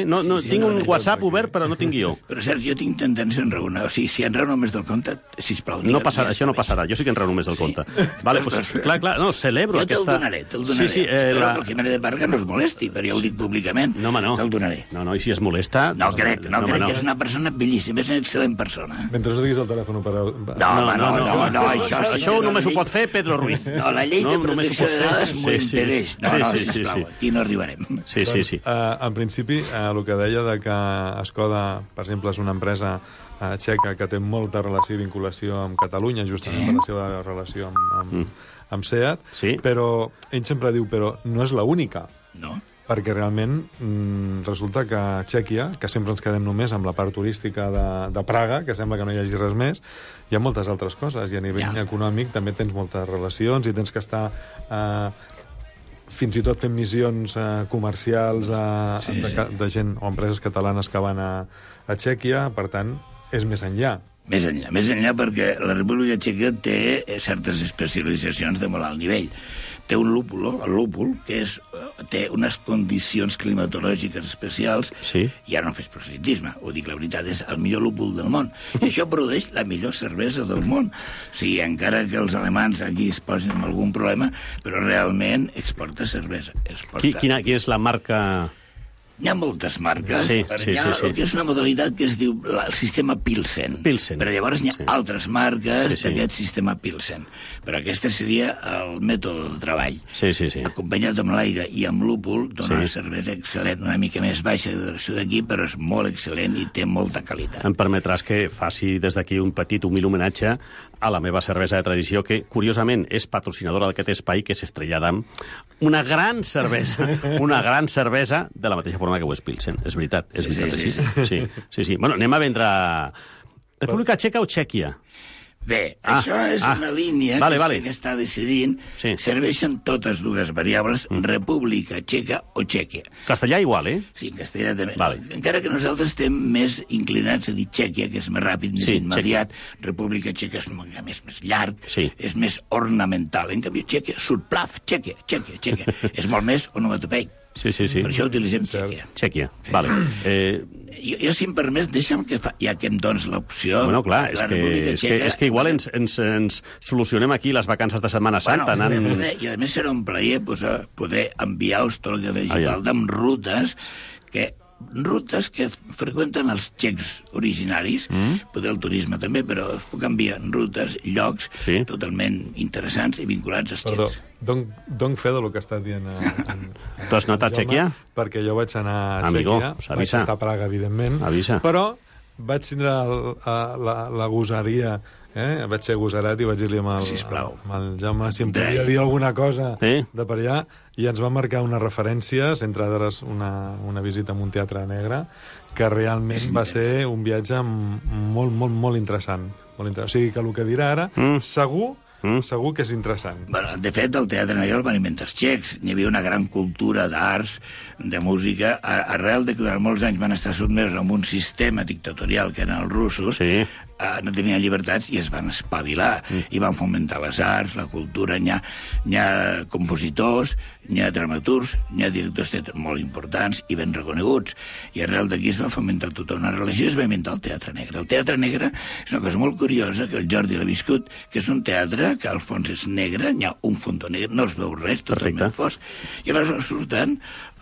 tinc un WhatsApp obert, però no tinc guió. Però, Sergi, jo tinc tendència a enraonar. O sigui, si enraono més del compte, sisplau... Això no passarà, jo sí que enraono més del compte. Vale, pues, clar, no, celebro aquesta... Jo te'l donaré. Sí, espero que el Jiménez de Parga no es molesti, però jo ho dic públicament. No, home, no. Te'l donaré. No, i si es molesta... No crec que és una persona bellíssima, és una excel·lent persona. Mentre no diguis el telèfon per... No, això només ho pot fer Pedro Ruiz. No, la llei de protecció de dades m'ho impedeix. No, sisplau, aquí no arribarem. Sí. En principi, el que deia de que Skoda, per exemple, és una empresa txeca que té molta relació i vinculació amb Catalunya, justament per la seva relació amb SEAT, però ell sempre diu, però no és l'única. No. Perquè realment resulta que Txèquia, que sempre ens quedem només amb la part turística de Praga, que sembla que no hi hagi res més, hi ha moltes altres coses, i a nivell econòmic també tens moltes relacions i tens que estar... fins i tot fent missions comercials de gent o empreses catalanes que van a Txèquia, per tant, és més enllà. Més enllà perquè la República Txeca té certes especialitzacions de molt alt nivell. Té un lúpul, el lúpul, que té unes condicions climatològiques especials, i ara no fes proselitisme, ho dic la veritat, és el millor lúpul del món. I això produeix la millor cervesa del món. O sigui, encara que els alemans aquí es posin amb algun problema, però realment exporta cervesa. Quina és la marca... Hi ha moltes marques, hi ha el que és una modalitat que es diu el sistema Pilsen. Però llavors hi ha altres marques d'aquest sistema Pilsen. Però aquesta seria el mètode de treball. Acompanyat amb l'aire i amb lúpul, dona una cervesa excel·lent, una mica més baixa de duració d'aquí, però és molt excel·lent i té molta qualitat. Em permetràs que faci des d'aquí un petit humil homenatge a la meva cervesa de tradició, que, curiosament, és patrocinadora d'aquest espai, que és Estrella d'Am. Una gran cervesa de la mateixa forma que ho és Pilsen. És veritat, sí. Bueno, anem a vendre... República Txeca o Txèquia? Bé, això és una línia que està decidint. Serveixen totes dues variables, República Txeca o Txèquia. Castellà igual, Sí, castellà també. Encara que nosaltres estem més inclinats a dir Txèquia, que és més ràpid, més immediat. República Txeca és més llarg, és més ornamental. En canvi, Txèquia, surplaf, Txèquia. És molt més onomatopeic. Sí. Per això utilitzem Txèquia. Vale. Jo, si em permets, deixa'm que ja que em dones l'opció... Bueno, clar, és que igual ens solucionem aquí les vacances de Setmana Santa. I a més serà un plaer poder enviar-vos tot el que vegi falta amb rutes que freqüenten els txecs originaris, poder el turisme també, però es puc enviar rutes, llocs totalment interessants i vinculats als txecs. Dono fe del que està dient Tu has anat a Txèquia? Perquè jo vaig anar a Txèquia, vaig estar a Praga, evidentment, però vaig tindre la gosaria, vaig ser gosarat i vaig dir-li amb el Jaume si em podia dir alguna cosa de per allà, i ens va marcar unes referències, entre d'altres una visita a un teatre negre, que realment va ser un viatge molt interessant. O sigui que el que dirà ara, segur que és interessant. De fet, el Teatre Negre el van inventar els txecs. Hi havia una gran cultura d'arts, de música, arrel de que durant molts anys van estar sotmesos a un sistema dictatorial que eren els russos, no tenien llibertats i es van espavilar i van fomentar les arts, la cultura. Hi ha compositors, hi ha dramaturgs, hi ha directors de teatre molt importants i ben reconeguts, i arrel d'aquí es va fomentar tota una relació i es va inventar el Teatre Negre. El Teatre Negre és una cosa molt curiosa, que el Jordi l'ha viscut, que és un teatre que al fons és negre, hi ha un fondó negre, no es veu res, totalment fosc, i aleshores surten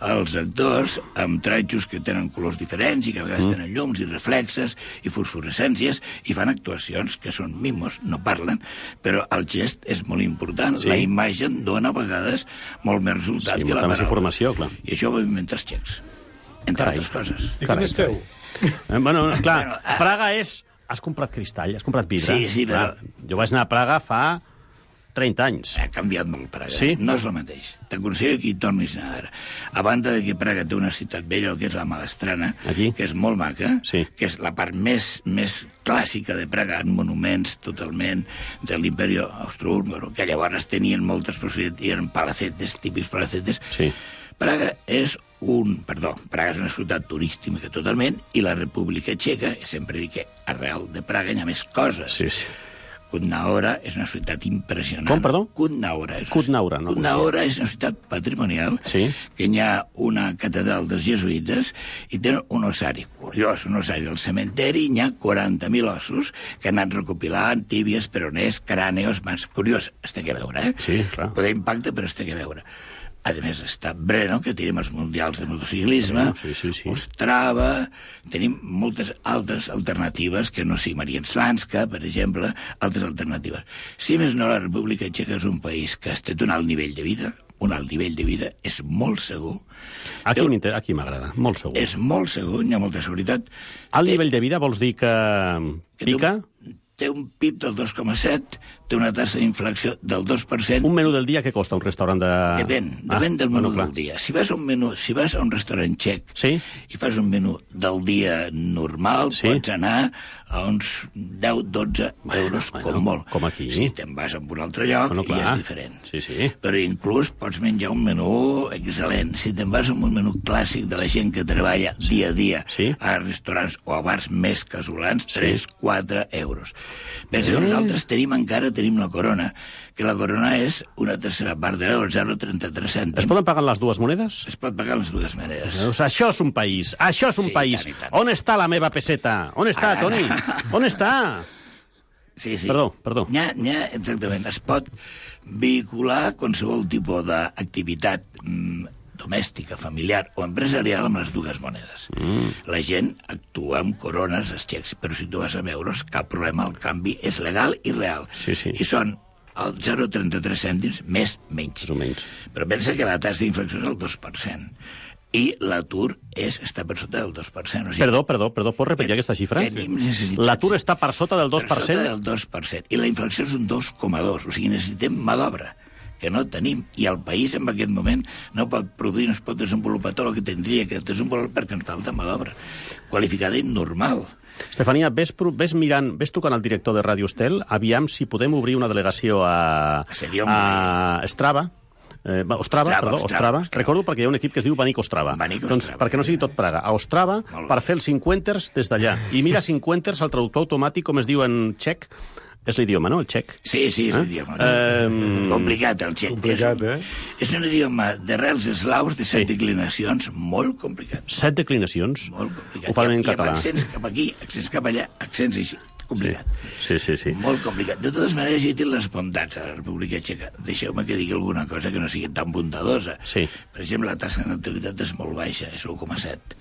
els actors amb tratjos que tenen colors diferents i que a vegades tenen llums i reflexes i fosforescències, i fan actuacions que són mimos, no parlen, però el gest és molt important. La imatge dona a vegades molt més resultat que la paraula. Informació, clar. I això ho vam inventar els txecs, entre altres coses. I què més feu? Bueno, clar, Praga és... Has comprat cristall, has comprat vidre. Sí, però... Jo vaig anar a Praga fa 30 anys. Ha canviat molt Praga. Sí? No és el mateix. T'aconsello que hi tornis a ara. A banda de que Praga té una ciutat bella, que és la Malastrana, que és molt maca, que és la part més clàssica de Praga, en monuments totalment de l'imperi austrohúngaro, que llavors tenien moltes possibilitats, i eren palacetes, típics palacetes. Sí. Praga és Praga és una ciutat turística totalment, i la República Txeca, sempre dic que arrel de Praga hi ha més coses. Sí, sí. Kutná-Hora és una ciutat impressionant. Com, perdó? Kutná-Hora. Kutná-Hora és una ciutat patrimonial, que hi ha una catedral dels jesuïtes i té un ossari curiós, un ossari del cementeri, hi ha 40.000 ossos que han anat recopilant, tíbies, peroners, cràneos, mans. Curiós, es té que veure, Sí, clar. Poder impacte, però es té que veure. A més, està Brno, que tenim els mundials de motociclisme, Ostrava, tenim moltes altres alternatives, que no sigui Marienslanska, per exemple, altres alternatives. Si més no, la República Txeca és un país que té un alt nivell de vida, és molt segur. Aquí m'agrada, molt segur. És molt segur, hi ha molta seguretat. Alt nivell de vida vols dir que pica? Té un PIB del 2,7, té una tassa d'inflació del 2%. Un menú del dia que costa un restaurant de... Depèn del menú del dia. Si vas a un restaurant txec i fas un menú del dia normal, pots anar a uns 10-12 euros, com molt. Com aquí. Si te'n vas a un altre lloc, ja és diferent. Sí. Però inclús pots menjar un menú excel·lent. Si te'n vas a un menú clàssic de la gent que treballa dia a dia a restaurants o a bars més casolans, 3-4 euros. Pensa que nosaltres tenim la corona, que la corona és una tercera part de l'euro, 0,33 cèntims. Es poden pagar les dues monedes? Es pot pagar les dues maneres. Això és un país, Tant. On està la meva peseta? On està, Toni? On està? Sí. Perdó. Exactament. Es pot vehicular qualsevol tipus d'activitat domèstica, familiar o empresarial amb les dues monedes. La gent actua amb corones, els xecs, però si tu vas amb euros, cap problema, el canvi és legal i real. I són el 0,33 cèntims menys. Però pensa que la tassa d'inflació és el 2%. I l'atur està per sota del 2%. Perdó, pots repetir aquesta xifra? L'atur està per sota del 2%? Per sota del 2%. I la inflació és un 2,2%. O sigui, necessitem mà d'obra, que no tenim, i el país en aquest moment no pot produir, no es pot desenvolupar tot el que tindria que desenvolupar perquè ens falta mà d'obra qualificada i normal. Estefania, ves tocant al director de Ràdio Estel, aviam si podem obrir una delegació a Ostrava. Ostrava. Recordo perquè hi ha un equip que es diu Banik Ostrava. Doncs perquè no sigui tot Praga. A Ostrava, per fer els 50ers des d'allà. I mira 50ers, el traductor automàtic, com es diu en txec, és l'idioma, no?, el txec. Sí, és l'idioma. Complicat, el txec. És un idioma d'arrels eslaus de 7 declinacions, molt complicat. 7 declinacions? Molt complicat. Ho fan en català. I amb accents cap aquí, accents cap allà, accents així. Complicat. Sí. Molt complicat. De totes maneres, hi tinc les bondats a la República Txeca. Deixeu-me que digui alguna cosa que no sigui tan bondadosa. Per exemple, la tassa de natalitat és molt baixa, és 1,7.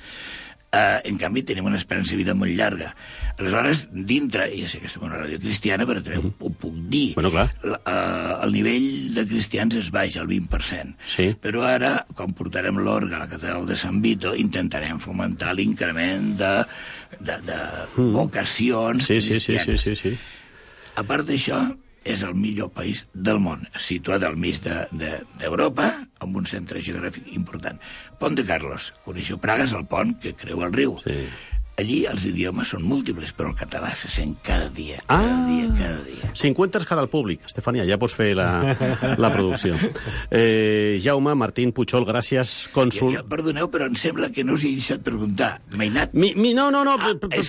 En canvi, tenim una esperança de vida molt llarga. Aleshores, dintre, ja sé que estem en una ràdio cristiana, però també ho puc dir, el nivell de cristians és baix, el 20%. Però ara, quan portarem l'orgue a la catedral de Sant Vito, intentarem fomentar l'increment de vocacions cristianes. A part d'això, és el millor país del món, situat al mig d'Europa, amb un centre geogràfic important. Pont de Carlos. Coneixeu Praga, és el pont que creua el riu. Allí els idiomes són múltiples, però el català se sent cada dia. 50 cara al públic. Estefania, ja pots fer la producció. Jaume Martín Puchol, gràcies, cònsol. Perdoneu, però em sembla que no us he deixat preguntar. Mainat? No,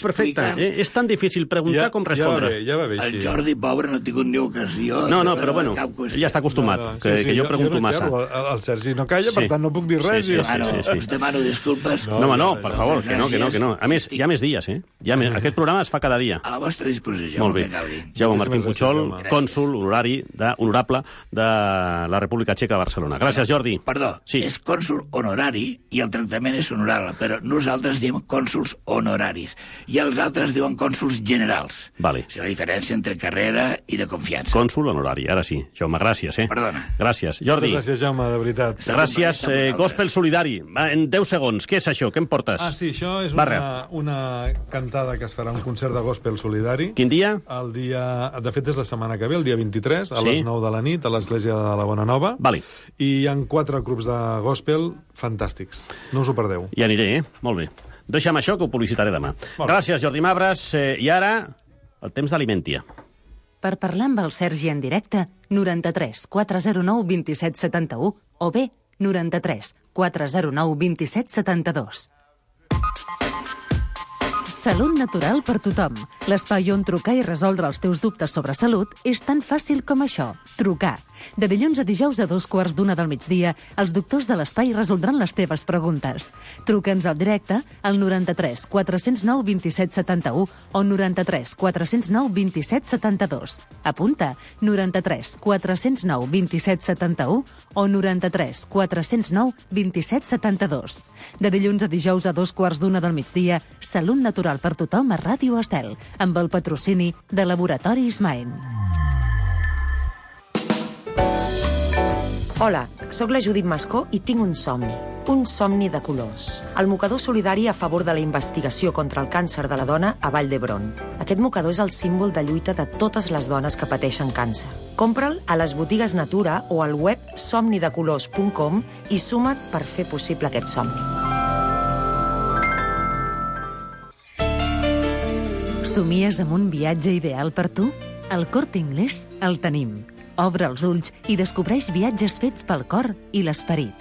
perfecte. És tan difícil preguntar com respondre. Ja va bé, el Jordi, pobre, no ha tingut ni ocasió. No, però bueno, ell ja està acostumat, que jo pregunto massa. El Sergi no calla, per tant no puc dir res. Us demano disculpes. No, per favor, que no. A més, hi ha més dies, Aquest programa es fa cada dia. A la vostra disposició. Molt bé. Jaume Martín Puchol, cònsol honorari de la República Txeca a Barcelona. Gràcies, Jordi. Perdó, és cònsol honorari i el tractament és honorable, però nosaltres diem cònsols honoraris i els altres diuen cònsols generals. Vale. És la diferència entre carrera i de confiança. Cònsol honorari, ara sí. Jaume, gràcies, Perdona. Gràcies. Jordi. Gràcies, Jaume, de veritat. Gràcies. Gospel solidari. En 10 segons. Què és això? Què em portes? Sí, això és una cantada que es farà, un concert de gospel solidari. Quin dia? El dia... De fet, és la setmana que ve, el dia 23, a les 9 de la nit, a l'Església de la Bona Nova. Vale. I hi ha 4 grups de gospel fantàstics. No us ho perdeu. Hi aniré, Molt bé. Deixa'm això, que ho publicitaré demà. Gràcies, Jordi Mabres. I ara, el temps d'Alimentia. Per parlar amb el Sergi en directe, 93 409 27 71 o bé 93 409 27 72. Salut natural per tothom. L'espai on trucar i resoldre els teus dubtes sobre salut és tan fàcil com això. Trucar. De dilluns a dijous a 2:15 del migdia, els doctors de l'espai resoldran les teves preguntes. Truca'ns al directe al 93 409 27 71 o 93 409 27 72. Apunta, 93 409 27 71 o 93 409 27 72. De dilluns a dijous a 2:15 del migdia, Salut natural per tothom a Ràdio Estel, amb el patrocini de Laboratoris Maen. Hola, sóc la Judit Mascó i tinc un somni de colors. El mocador solidari a favor de la investigació contra el càncer de la dona a Vall d'Hebron. Aquest mocador és el símbol de lluita de totes les dones que pateixen càncer. Compra'l a les botigues Natura o al web somnidecolors.com i suma't per fer possible aquest somni. Somies amb un viatge ideal per tu? Al Corte Inglés el tenim. Obre els ulls i descobreix viatges fets pel cor i l'esperit.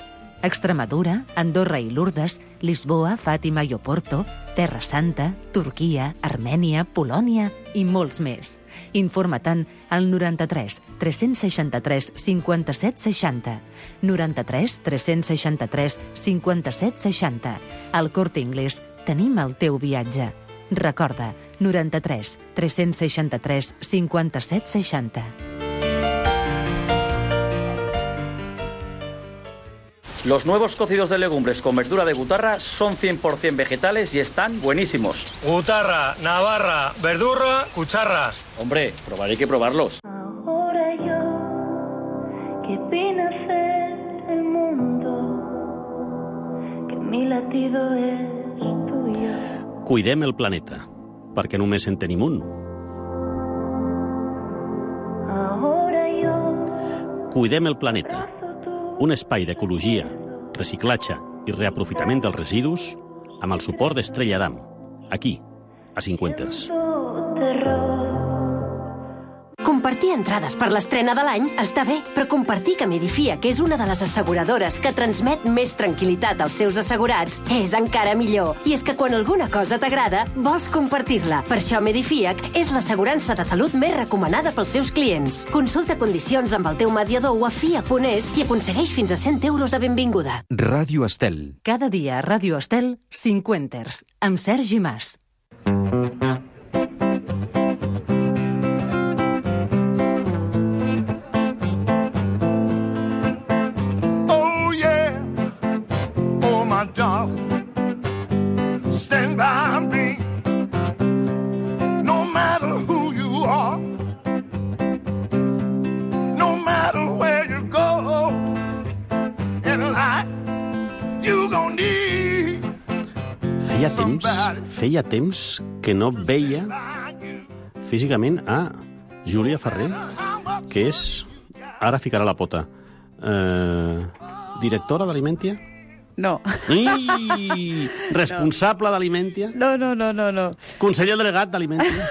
Extremadura, Andorra i Lourdes, Lisboa, Fàtima i Oporto, Terra Santa, Turquia, Armènia, Polònia i molts més. Informa-te'n al 93 363 57 60. 93 363 57 60. Al Corte Inglés tenim el teu viatge. Recorda, 93 363 57 60. Los nuevos cocidos de legumbres con verdura de gutarra son 100% vegetales y están buenísimos. Gutarra, navarra, verdurra, cucharras. Hombre, probaré que probarlos. Ahora yo, que vine a ser el mundo, que mi latido es tuyo. Cuidem el planeta, perquè només en tenim un. Ahora yo, Cuidem el planeta, un espai d'ecologia, reciclatge i reaprofitament dels residus amb el suport d'Estrella Damm, aquí, a Cinquenters. Compartir entrades per l'estrena de l'any està bé, però compartir que Medifia, que és una de les asseguradores que transmet més tranquil·litat als seus assegurats, és encara millor. I és que quan alguna cosa t'agrada, vols compartir-la. Per això Medifiac és l'assegurança de salut més recomanada pels seus clients. Consulta condicions amb el teu mediador o a FIA.es i aconsegueix fins a 100 euros de benvinguda. Ràdio Estel. Cada dia a Ràdio Estel, Cinquenters, amb Sergi Mas. Stand by me, no matter who you are, no matter where you go, in life you gon' need. Feia temps que no veia físicament a Júlia Ferrer, que és... Ara ficarà la pota. Directora d'Alimentia? No. Responsable d'Alimentia? No. Conseller delegat d'Alimentia?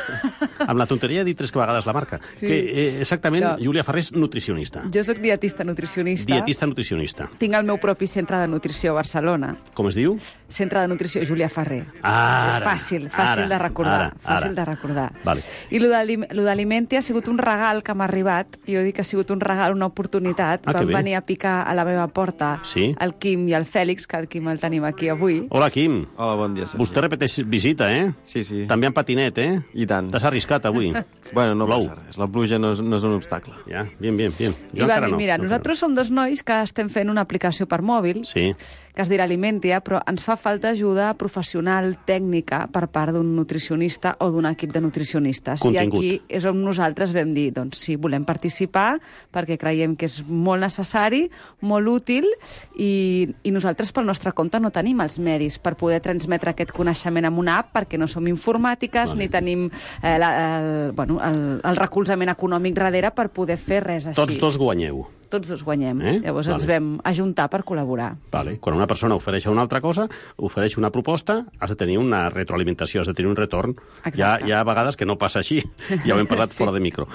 Amb la tonteria he dit 3 vegades la marca. Sí. Que exactament, no. Júlia Ferrer és nutricionista. Jo sóc dietista nutricionista. Dietista nutricionista. Tinc el meu propi centre de nutrició a Barcelona. Com es diu? Centre de nutrició Júlia Ferrer. Ara, és fàcil de recordar. Fàcil de recordar. Vale. I lo d'Alimentia ha sigut un regal que m'ha arribat. Jo dic que ha sigut un regal, una oportunitat. Van venir a picar a la meva porta el Quim i el Fèlix, que el Quim el tenim aquí avui. Hola, Quim. Hola, bon dia, Sergi. Vostè repeteix visita, eh? Sí. També en patinet, eh? I tant. T'has arriscat avui. Bueno, no passa res. La pluja no és un obstacle. Ja, bien. Jo I va dir, mira, nosaltres som 2 nois que estem fent una aplicació per mòbil que es dirà Alimentia, però ens fa falta ajuda professional, tècnica, per part d'un nutricionista o d'un equip de nutricionistes. Contingut. I aquí és on nosaltres vam dir, doncs sí, volem participar perquè creiem que és molt necessari, molt útil, i nosaltres pel nostre compte no tenim els medis per poder transmetre aquest coneixement amb una app, perquè no som informàtiques ni tenim el recolzament econòmic darrere per poder fer res així. Tots dos guanyeu. Tots dos guanyem. Llavors ens vam ajuntar per col·laborar. Vale. Quan una persona ofereix una altra cosa, ofereix una proposta, has de tenir una retroalimentació, has de tenir un retorn. Hi ha vegades que no passa així. Ja ho hem parlat fora de micro.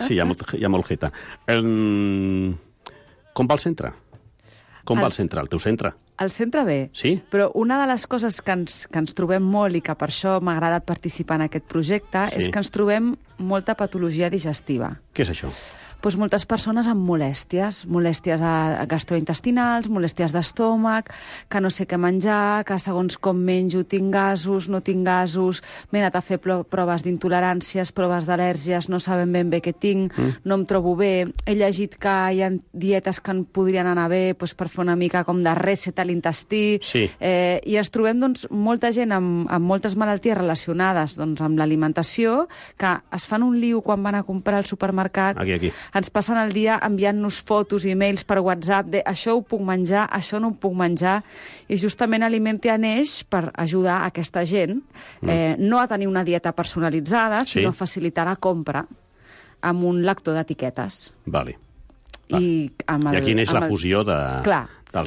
Sí, hi ha molt jeta. Com va el centre? Com va el centre, el teu centre? El centre bé, sí? Però una de les coses que ens trobem molt i que per això m'ha agradat participar en aquest projecte és que ens trobem molta patologia digestiva. Què és això? Doncs moltes persones amb molèsties gastrointestinals, molèsties d'estómac, que no sé què menjar, que segons com menjo tinc gasos, no tinc gasos, m'he anat a fer proves d'intoleràncies, proves d'al·lèrgies, no sabem ben bé què tinc, no em trobo bé. He llegit que hi ha dietes que en podrien anar bé per fer una mica com de reset a l'intestí, i ens trobem molta gent amb moltes malalties relacionades amb l'alimentació, que es fan un lío quan van a comprar al supermercat. Aquí. Ens passen el dia enviant-nos fotos i e-mails per WhatsApp de això ho puc menjar, això no ho puc menjar, i justament Alimentia neix per ajudar aquesta gent no a tenir una dieta personalitzada, sinó a facilitar la compra amb un lector d'etiquetes. Vale. I aquí neix la fusió del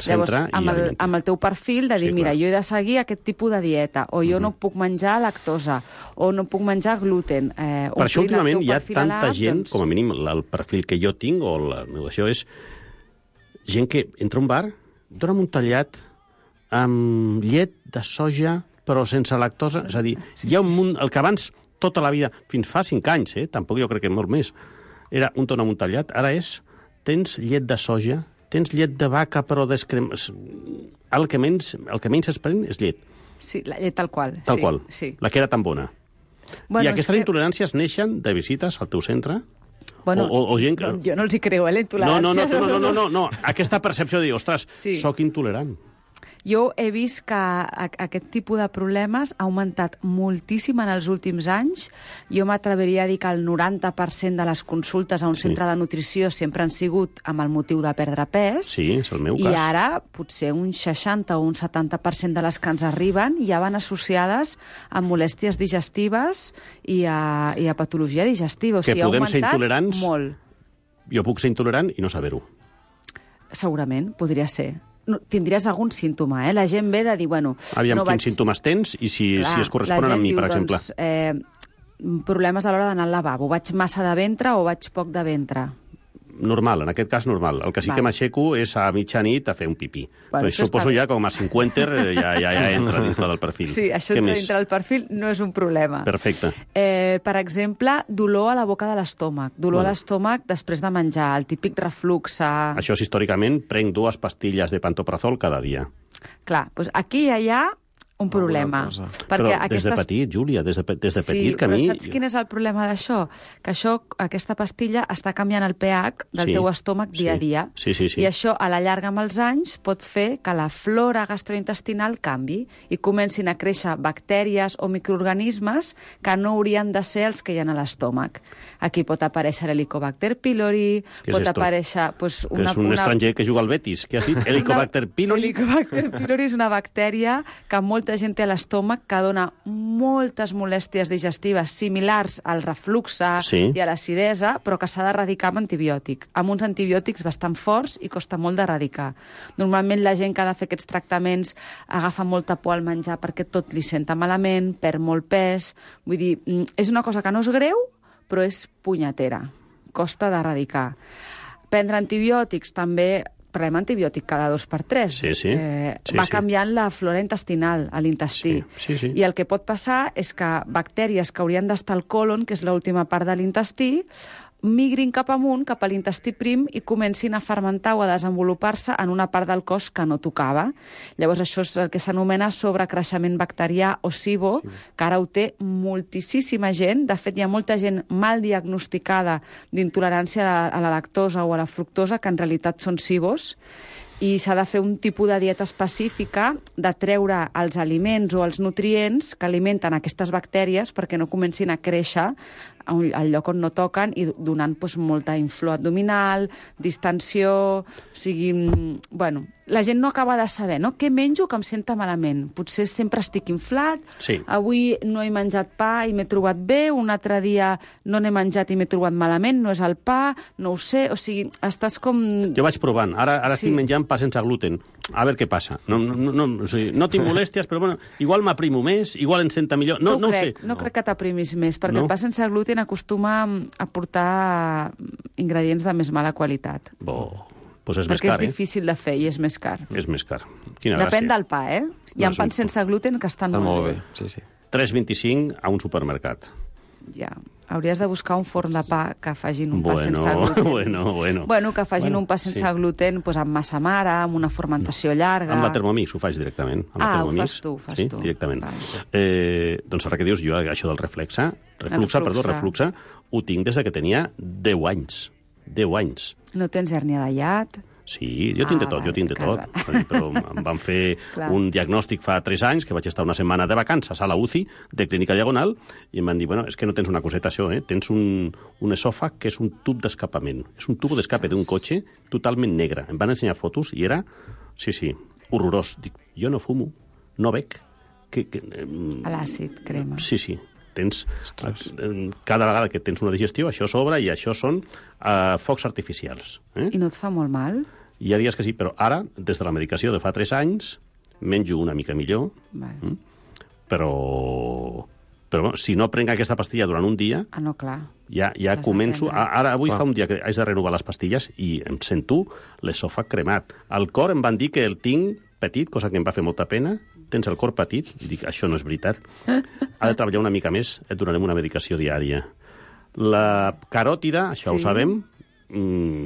centre i Alimentia. Amb el teu perfil de dir, mira, jo he de seguir aquest tipus de dieta, o jo no puc menjar lactosa, o no puc menjar gluten. Per això últimament hi ha tanta gent, com a mínim el perfil que jo tinc, o la meva això és gent que entra a un bar, dona'm un tallat amb llet de soja però sense lactosa, és a dir, hi ha un munt, el que abans tota la vida, fins fa 5 anys, tampoc jo crec que molt més, era un dona'm un tallat, ara és tens llet de soja, tens llet de vaca però descremada. El que menys es pren és llet. Sí, la llet tal qual. Tal qual, la que era tan bona. I aquestes intoleràncies neixen de visites al teu centre? Bueno, o gent que... jo no els hi creu, la intolerància. No. Aquesta percepció de dir, ostres, sóc intolerant. Jo he vist que aquest tipus de problemes ha augmentat moltíssim en els últims anys. Jo m'atreviria a dir que el 90% de les consultes a un centre de nutrició sempre han sigut amb el motiu de perdre pes. Sí, és el meu cas. I ara potser un 60 o un 70% de les que ens arriben ja van associades a molèsties digestives i a patologia digestiva. O sigui, podem ser intolerants? Molt. Jo puc ser intolerant i no saber-ho. Segurament, podria ser. Tindries algun símptoma, La gent ve de dir, bueno... Aviam, quins símptomes tens i si es corresponen amb mi, per exemple. Problemes a l'hora d'anar al lavabo. Vaig massa de ventre o vaig poc de ventre? Normal, en aquest cas normal. El que sí que m'aixeco és a mitjanit a fer un pipí. Bueno, però suposo ja com a 50 ja entra dintre del perfil. Sí, això entra dintre del perfil, no és un problema. Perfecte. Per exemple, dolor a la boca de l'estómac. Dolor a l'estómac després de menjar, el típic reflux. Això és històricament, prenc 2 pastilles de pantoprazol cada dia. Clar, doncs aquí ja hi ha un problema. Però des de petit, Júlia, des de petit, que a mi... Sí, però saps quin és el problema d'això? Que aquesta pastilla està canviant el pH del teu estómac dia a dia. Sí. I això, a la llarga amb els anys, pot fer que la flora gastrointestinal canvi i comencin a créixer bactèries o microorganismes que no haurien de ser els que hi ha a l'estómac. Aquí pot aparèixer l'Helicobacter pylori, pot aparèixer... És un estranger que juga al Betis. Què has dit? Helicobacter pylori? Helicobacter pylori és una bactèria que molta gent té a l'estómac que dona moltes molèsties digestives similars al reflux i a l'acidesa, però que s'ha d'erradicar amb antibiòtic. Amb uns antibiòtics bastant forts i costa molt d'erradicar. Normalment la gent que ha de fer aquests tractaments agafa molta por al menjar perquè tot li senta malament, perd molt pes... Vull dir, és una cosa que no és greu, però és punyetera. Costa d'erradicar. Prendre antibiòtics també... Prenem antibiòtic cada 2x3. Va canviant la flora intestinal a l'intestí. I el que pot passar és que bactèries que haurien d'estar al còlon, que és l'última part de l'intestí, migrin cap amunt, cap a l'intestí prim, i comencin a fermentar o a desenvolupar-se en una part del cos que no tocava. Llavors, això és el que s'anomena sobrecreixement bacterià o SIBO, que ara ho té moltíssima gent. De fet, hi ha molta gent mal diagnosticada d'intolerància a la lactosa o a la fructosa, que en realitat són SIBOs. I s'ha de fer un tipus de dieta específica de treure els aliments o els nutrients que alimenten aquestes bactèries perquè no comencin a créixer al lloc on no toquen i donant molta inflor abdominal, distensió, o sigui... Bueno, la gent no acaba de saber, no? Què menjo que em senta malament? Potser sempre estic inflat, avui no he menjat pa i m'he trobat bé, un altre dia no n'he menjat i m'he trobat malament, no és el pa, no ho sé, o sigui, estàs com... Jo vaig provant, ara estic menjant pa sense gluten, a veure què passa. O sigui, no tinc molèsties, però bueno, igual m'aprimo més, igual em senta millor, no ho sé. No crec que t'aprimis més, perquè el pa sense gluten acostuma a portar ingredients de més mala qualitat. Doncs és més car, perquè és difícil de fer i és més car. És més car. Quina gràcia. Depèn del pa, Hi ha pans sense gluten que estan molt bé. Sí. 3,25 a un supermercat. Ja. Hauries de buscar un forn de pa que facin un pa sense gluten. Bueno, que facin un pa sense gluten amb massa mare, amb una fermentació llarga... Amb la Thermomix ho faig directament. Ho fas tu. Directament. Doncs ara que dius, jo això del refluxa, ho tinc des que tenia 10 anys. 10 anys. No tens hèrnia de hiat? Sí, jo tinc de tot. Però em van fer un diagnòstic fa 3 anys, que vaig estar una setmana de vacances a la UCI de Clínica Diagonal, i em van dir, és que no tens una coseta això, tens un esòfag que és un tub d'escapament. És un tubo d'escape d'un cotxe totalment negre. Em van ensenyar fotos i era, horrorós. Dic, jo no fumo, no bec. A l'àcid, crema. Sí. Cada vegada que tens una digestió, això s'obre i això són focs artificials. I no et fa molt mal? Hi ha dies que sí, però ara, des de la medicació de fa 3 anys, menjo una mica millor, però si no prenc aquesta pastilla durant un dia, ja començo... Ara, avui fa un dia que haig de renovar les pastilles i em sento l'esòfag cremat. Al cor em van dir que el tinc petit, cosa que em va fer molta pena. Tens el cor petit? I dic, això no és veritat. Ha de treballar una mica més, et donarem una medicació diària. La caròtida, això ho sabem,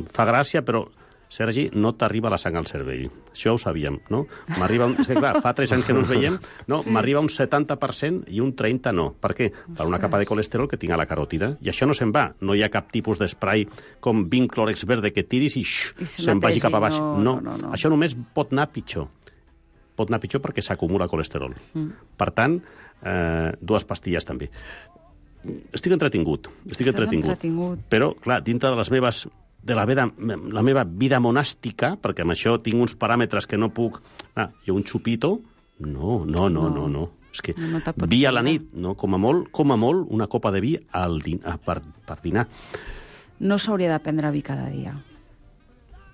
fa gràcia, però, Sergi, no t'arriba la sang al cervell. Això ho sabíem, no? És que, clar, fa 3 anys que no ens veiem, m'arriba un 70% i un 30% no. Per què? Per una capa de colesterol que tinc a la caròtida. I això no se'n va. No hi ha cap tipus d'esprai com 20 clòrex verde que tiris i se'n vagi cap a baix. No. Això només pot anar pitjor. Pot anar pitjor perquè s'acumula colesterol. Per tant, 2 pastilles també. Estic entretingut. Però, clar, dintre de les meves... la meva vida monàstica, perquè amb això tinc uns paràmetres que no puc... Jo un xupito? No. És que vi a la nit, no? Com a molt, una copa de vi per dinar. No s'hauria de prendre vi cada dia.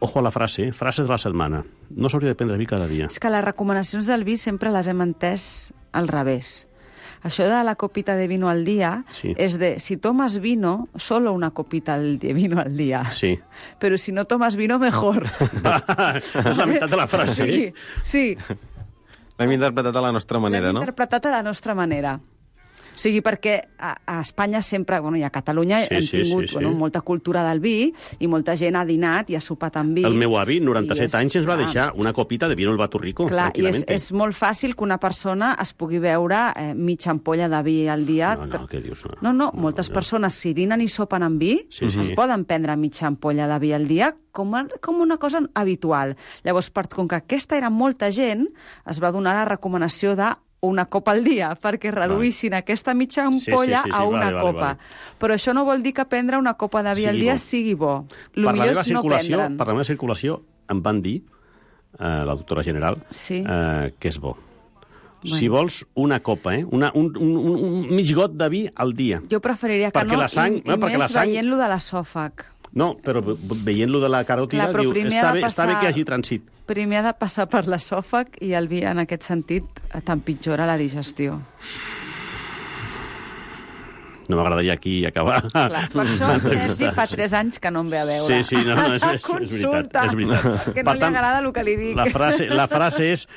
Ojo a la frase de la setmana. No s'hauria de prendre vi cada dia. És que les recomanacions del vi sempre les hem entès al revés. Això de la copita de vino al dia és de, si tomas vino, solo una copita de vino al día. Sí. Pero si no tomas vino, mejor. És la meitat de la frase. Sí. L'hem interpretat a la nostra manera, no? L'hem interpretat a la nostra manera. O sigui, perquè a Espanya sempre, i a Catalunya hem tingut molta cultura del vi i molta gent ha dinat i ha sopat amb vi. El meu avi, 97 anys, ens va deixar una copita de vino al Bato Rico. Clar, i és molt fàcil que una persona es pugui beure mitja ampolla de vi al dia. No, què dius? No, moltes persones, si dinen i sopen amb vi, es poden prendre mitja ampolla de vi al dia com una cosa habitual. Llavors, com que aquesta era molta gent, es va donar la recomanació de una copa al dia, perquè reduïssin aquesta mitja ampolla a una copa. Però això no vol dir que prendre una copa de vi al dia sigui bo. El millor és no prendre'n. Per la meva circulació em van dir, la doctora general, que és bo. Si vols una copa, un mig got de vi al dia. Jo preferiria que no, i més veient-lo de l'esòfag. No, però veient-lo de la caròtida, diu, està bé que hi hagi trànsit. Primer ha de passar per l'esòfag i el vi, en aquest sentit, t'empitjora la digestió. No m'agradaria aquí acabar. Clar, per això Sergi fa 3 anys que no em ve a veure. Sí, no, és veritat. Perquè no li agrada el que li dic. La frase és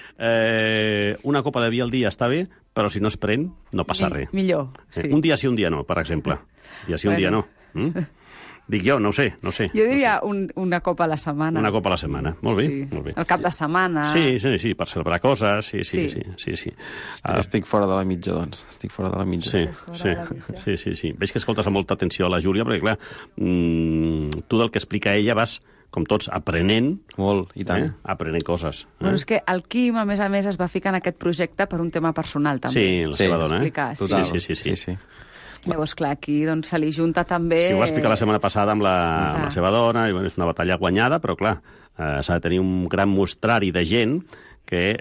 una copa de vi al dia està bé, però si no es pren, no passa res. Millor, sí. Un dia sí, un dia no, per exemple. Un dia sí, un dia no. Dic jo, no ho sé. Jo diria una copa a la setmana. Una copa a la setmana, molt bé. El cap de setmana. Sí, per celebrar coses, sí. Estic fora de la mitja, doncs. Estic fora de la mitja. Sí. Veig que escoltes amb molta atenció a la Júlia, perquè, clar, tu del que explica ella vas com tots, aprenent. Molt, i tant. Aprenent coses. Bueno, és que el Quim, a més, es va ficar en aquest projecte per un tema personal, també. Sí, la seva dona, Total. Sí. Llavors, clar, aquí doncs, se li junta també... Sí, ho va explicar la setmana passada amb la seva dona, i bueno, és una batalla guanyada, però clar, s'ha de tenir un gran mostrari de gent que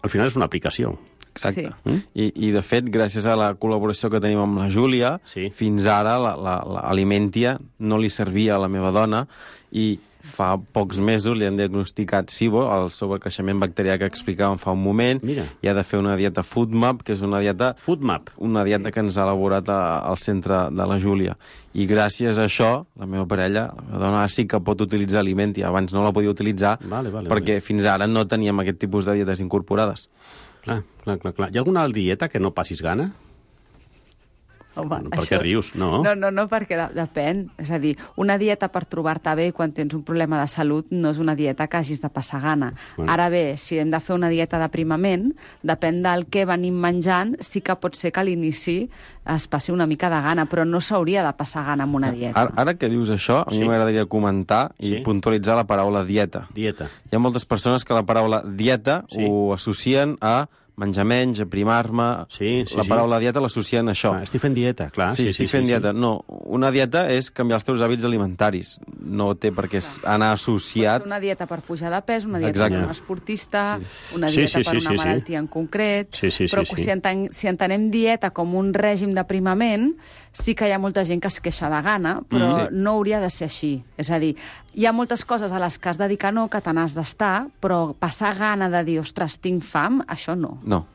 al final és una aplicació. Exacte. Sí. I, de fet, gràcies a la col·laboració que tenim amb la Júlia, fins ara l'Alimentia no li servia a la meva dona i fa pocs mesos li han diagnosticat SIBO, el sobrecreixement bacterià que explicàvem fa un moment, i ha de fer una dieta FoodMap, que és una dieta que ens ha elaborat al centre de la Júlia. I gràcies a això, la meva parella, la meva dona, sí que pot utilitzar Alimentia. Abans no la podia utilitzar perquè fins ara no teníem aquest tipus de dietes incorporades. Clar. Hi ha alguna dieta que no passis gana? Home, per què rius? No, perquè depèn. És a dir, una dieta per trobar-te bé quan tens un problema de salut no és una dieta que hagis de passar gana. Ara bé, si hem de fer una dieta d'aprimament, depèn del que venim menjant, sí que pot ser que a l'inici es passi una mica de gana, però no s'hauria de passar gana amb una dieta. Ara que dius això, a mi m'agradaria comentar i puntualitzar la paraula dieta. Hi ha moltes persones que la paraula dieta ho associen a menjar menys, aprimar-me... La paraula dieta l'associen a això. Estic fent dieta, clar. Sí, estic fent dieta. No, una dieta és canviar els teus hàbits alimentaris. No té per què anar associat... Pot ser una dieta per pujar de pes, una dieta per un esportista, una dieta per una malaltia en concret... Però si entenem dieta com un règim d'aprimament, sí que hi ha molta gent que es queixa de gana, però no hauria de ser així. És a dir, hi ha moltes coses a les que has de dir que no, que te n'has d'estar, però passar gana de dir, ostres, tinc fam, això no. No.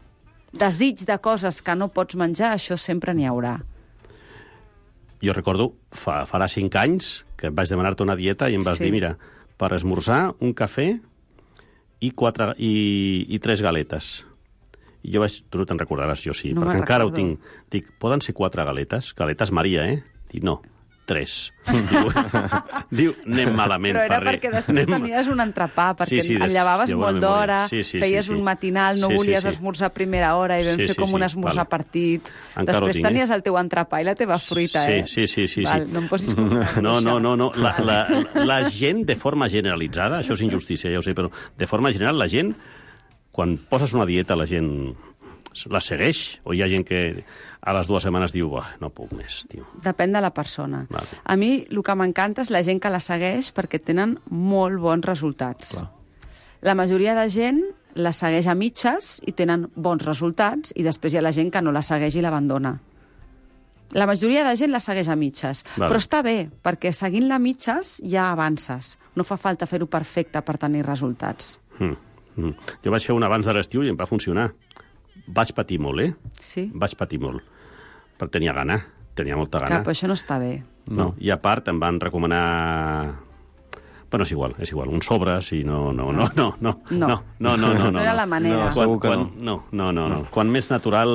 Desig de coses que no pots menjar, això sempre n'hi haurà. Jo recordo, farà 5 anys, que vaig demanar-te una dieta i em vas dir, mira, per esmorzar, un cafè i 3 galetes. I jo vaig... Tu no te'n recordaràs, jo sí, perquè encara ho tinc. Dic, poden ser 4 galetes? Galetes Maria, Dic, no. 3. Diu, anem malament. Però era perquè després tenies un entrepà, perquè et llevaves molt d'hora, feies un matinal, no volies esmorzar a primera hora i vam fer com un esmorzar partit. Després tenies el teu entrepà i la teva fruita, Sí. No em posis... No. La gent, de forma generalitzada, això és injustícia, ja ho sé, però de forma general, la gent, quan poses una dieta, la gent la segueix? O hi ha gent que a les 2 setmanes diu, no puc més, tio? Depèn de la persona. A mi el que m'encanta és la gent que la segueix perquè tenen molt bons resultats. La majoria de gent la segueix a mitges i tenen bons resultats, i després hi ha la gent que no la segueix i l'abandona. La majoria de gent la segueix a mitges. Però està bé, perquè seguint-la a mitges ja avances. No fa falta fer-ho perfecte per tenir resultats. Jo vaig fer un abans de l'estiu i em va funcionar. Vaig patir molt, Sí. Vaig patir molt. Però tenia gana, tenia molta gana. Clar, però això no està bé. No. I a part em van recomanar... Bueno, és igual, uns sobres i no. No era la manera. No. Quan més natural,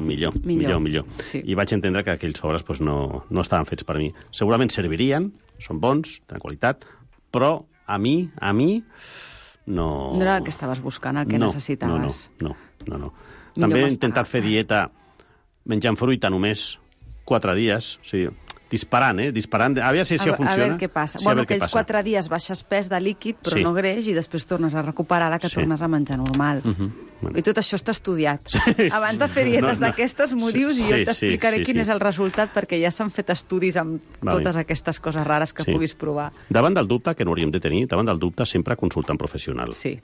millor. Sí. I vaig entendre que aquells sobres no estaven fets per mi. Segurament servirien, són bons, tenen qualitat, però a mi... No era el que estaves buscant, el que necessitaves. No. També he intentat fer dieta menjant fruita només 4 dies, o sigui, disparant, a veure si això funciona. A veure què passa. Aquells 4 dies baixes pes de líquid, però no greix, i després tornes a recuperar la que tornes a menjar normal. I tot això està estudiat. Abans de fer dietes d'aquestes m'ho dius i jo t'explicaré quin és el resultat, perquè ja s'han fet estudis amb totes aquestes coses rares que puguis provar. Davant del dubte, que no hauríem de tenir, sempre consulta un professional. Sí,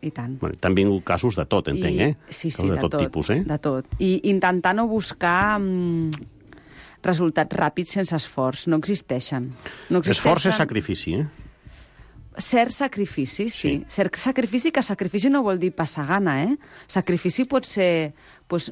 i tant. T'han vingut casos de tot, entenc, Sí, de tot tipus, de tot. I intentar no buscar resultats ràpids sense esforç. No existeixen. Esforç és sacrifici, Cert sacrifici, sí. Cert sacrifici, que sacrifici no vol dir passar gana, Sacrifici pot ser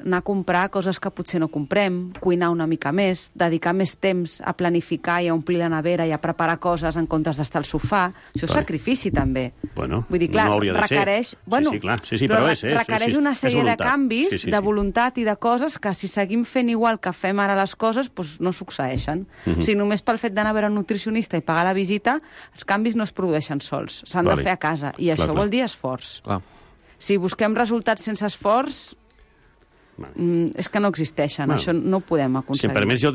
anar a comprar coses que potser no comprem, cuinar una mica més, dedicar més temps a planificar i a omplir la nevera i a preparar coses en comptes d'estar al sofà. Això és sacrifici, també. Bueno, vull dir, clar, no hauria de requereix... Sí, però requereix una sèrie de canvis, de voluntat i de coses que, si seguim fent igual que fem ara les coses, no succeeixen. O sigui, només pel fet d'anar a veure un nutricionista i pagar la visita, els canvis no es produeixen sols. S'han de fer a casa. I això vol dir esforç. Si busquem resultats sense esforç... És que no existeixen, això no ho podem aconseguir. Sí, per més jo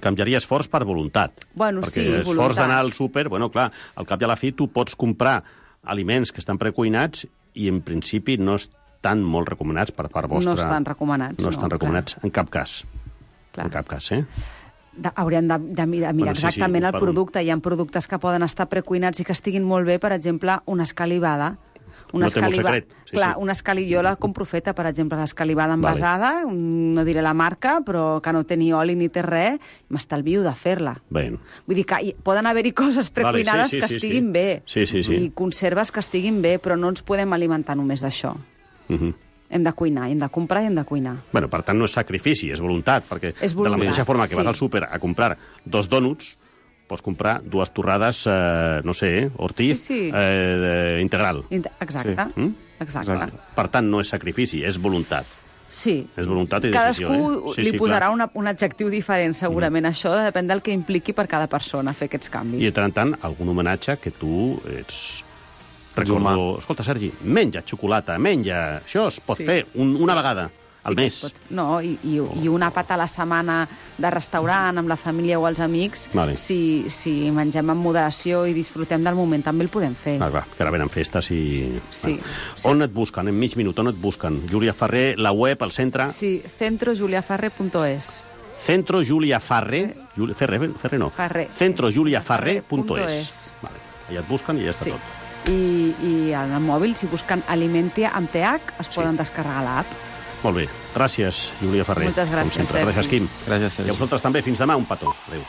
canviaria esforç per voluntat. Bueno, perquè sí, esforç d'anar al súper, bueno, clar, al cap i a la fi tu pots comprar aliments que estan precuinats i en principi no estan molt recomanats per part vostra. No estan recomanats. No estan recomanats, en cap cas. Clar. En cap cas, Hauríem de mirar exactament el producte. Hi ha productes que poden estar precuinats i que estiguin molt bé, per exemple, una escalivada. No té molt secret. Una jo la compro feta, per exemple, l'escalivada envasada, no diré la marca, però que no té ni oli ni té res, m'estalvio de fer-la. Vull dir que poden haver-hi coses precuinades que estiguin bé i conserves que estiguin bé, però no ens podem alimentar només d'això. Hem de cuinar, hem de comprar i hem de cuinar. Bueno, per tant, no és sacrifici, és voluntat, perquè de la mateixa forma que vas al súper a comprar 2 dònuts, pots comprar 2 torrades, no sé, Ortiz, integral. Exacte. Per tant, no és sacrifici, és voluntat. Sí. És voluntat i decisió. Cadascú li posarà un adjectiu diferent, segurament. Això depèn del que impliqui per cada persona fer aquests canvis. I, de tant en tant, algun homenatge que tu ets... Recordo, escolta, Sergi, menja xocolata, menja... Això es pot fer una vegada al mes. No, i un àpat a la setmana de restaurant amb la família o els amics, si mengem amb moderació i disfrutem del moment, també el podem fer. Clar, que ara venen festes i... On et busquen? En mig minut, on et busquen? Júlia Ferrer, la web, el centre? Sí, centrojuliaferrer.es. Centrojuliaferrer? Ferrer no. Centrojuliaferrer.es. Allà et busquen i ja està tot. I al mòbil, si busquen Alimentia amb TH, es poden descarregar l'app. Molt bé. Gràcies, Júlia Ferrer. Moltes gràcies, Sergi. Gràcies, Quim. Gràcies, Sergi. I a vosaltres també. Fins demà. Un petó. Adéu.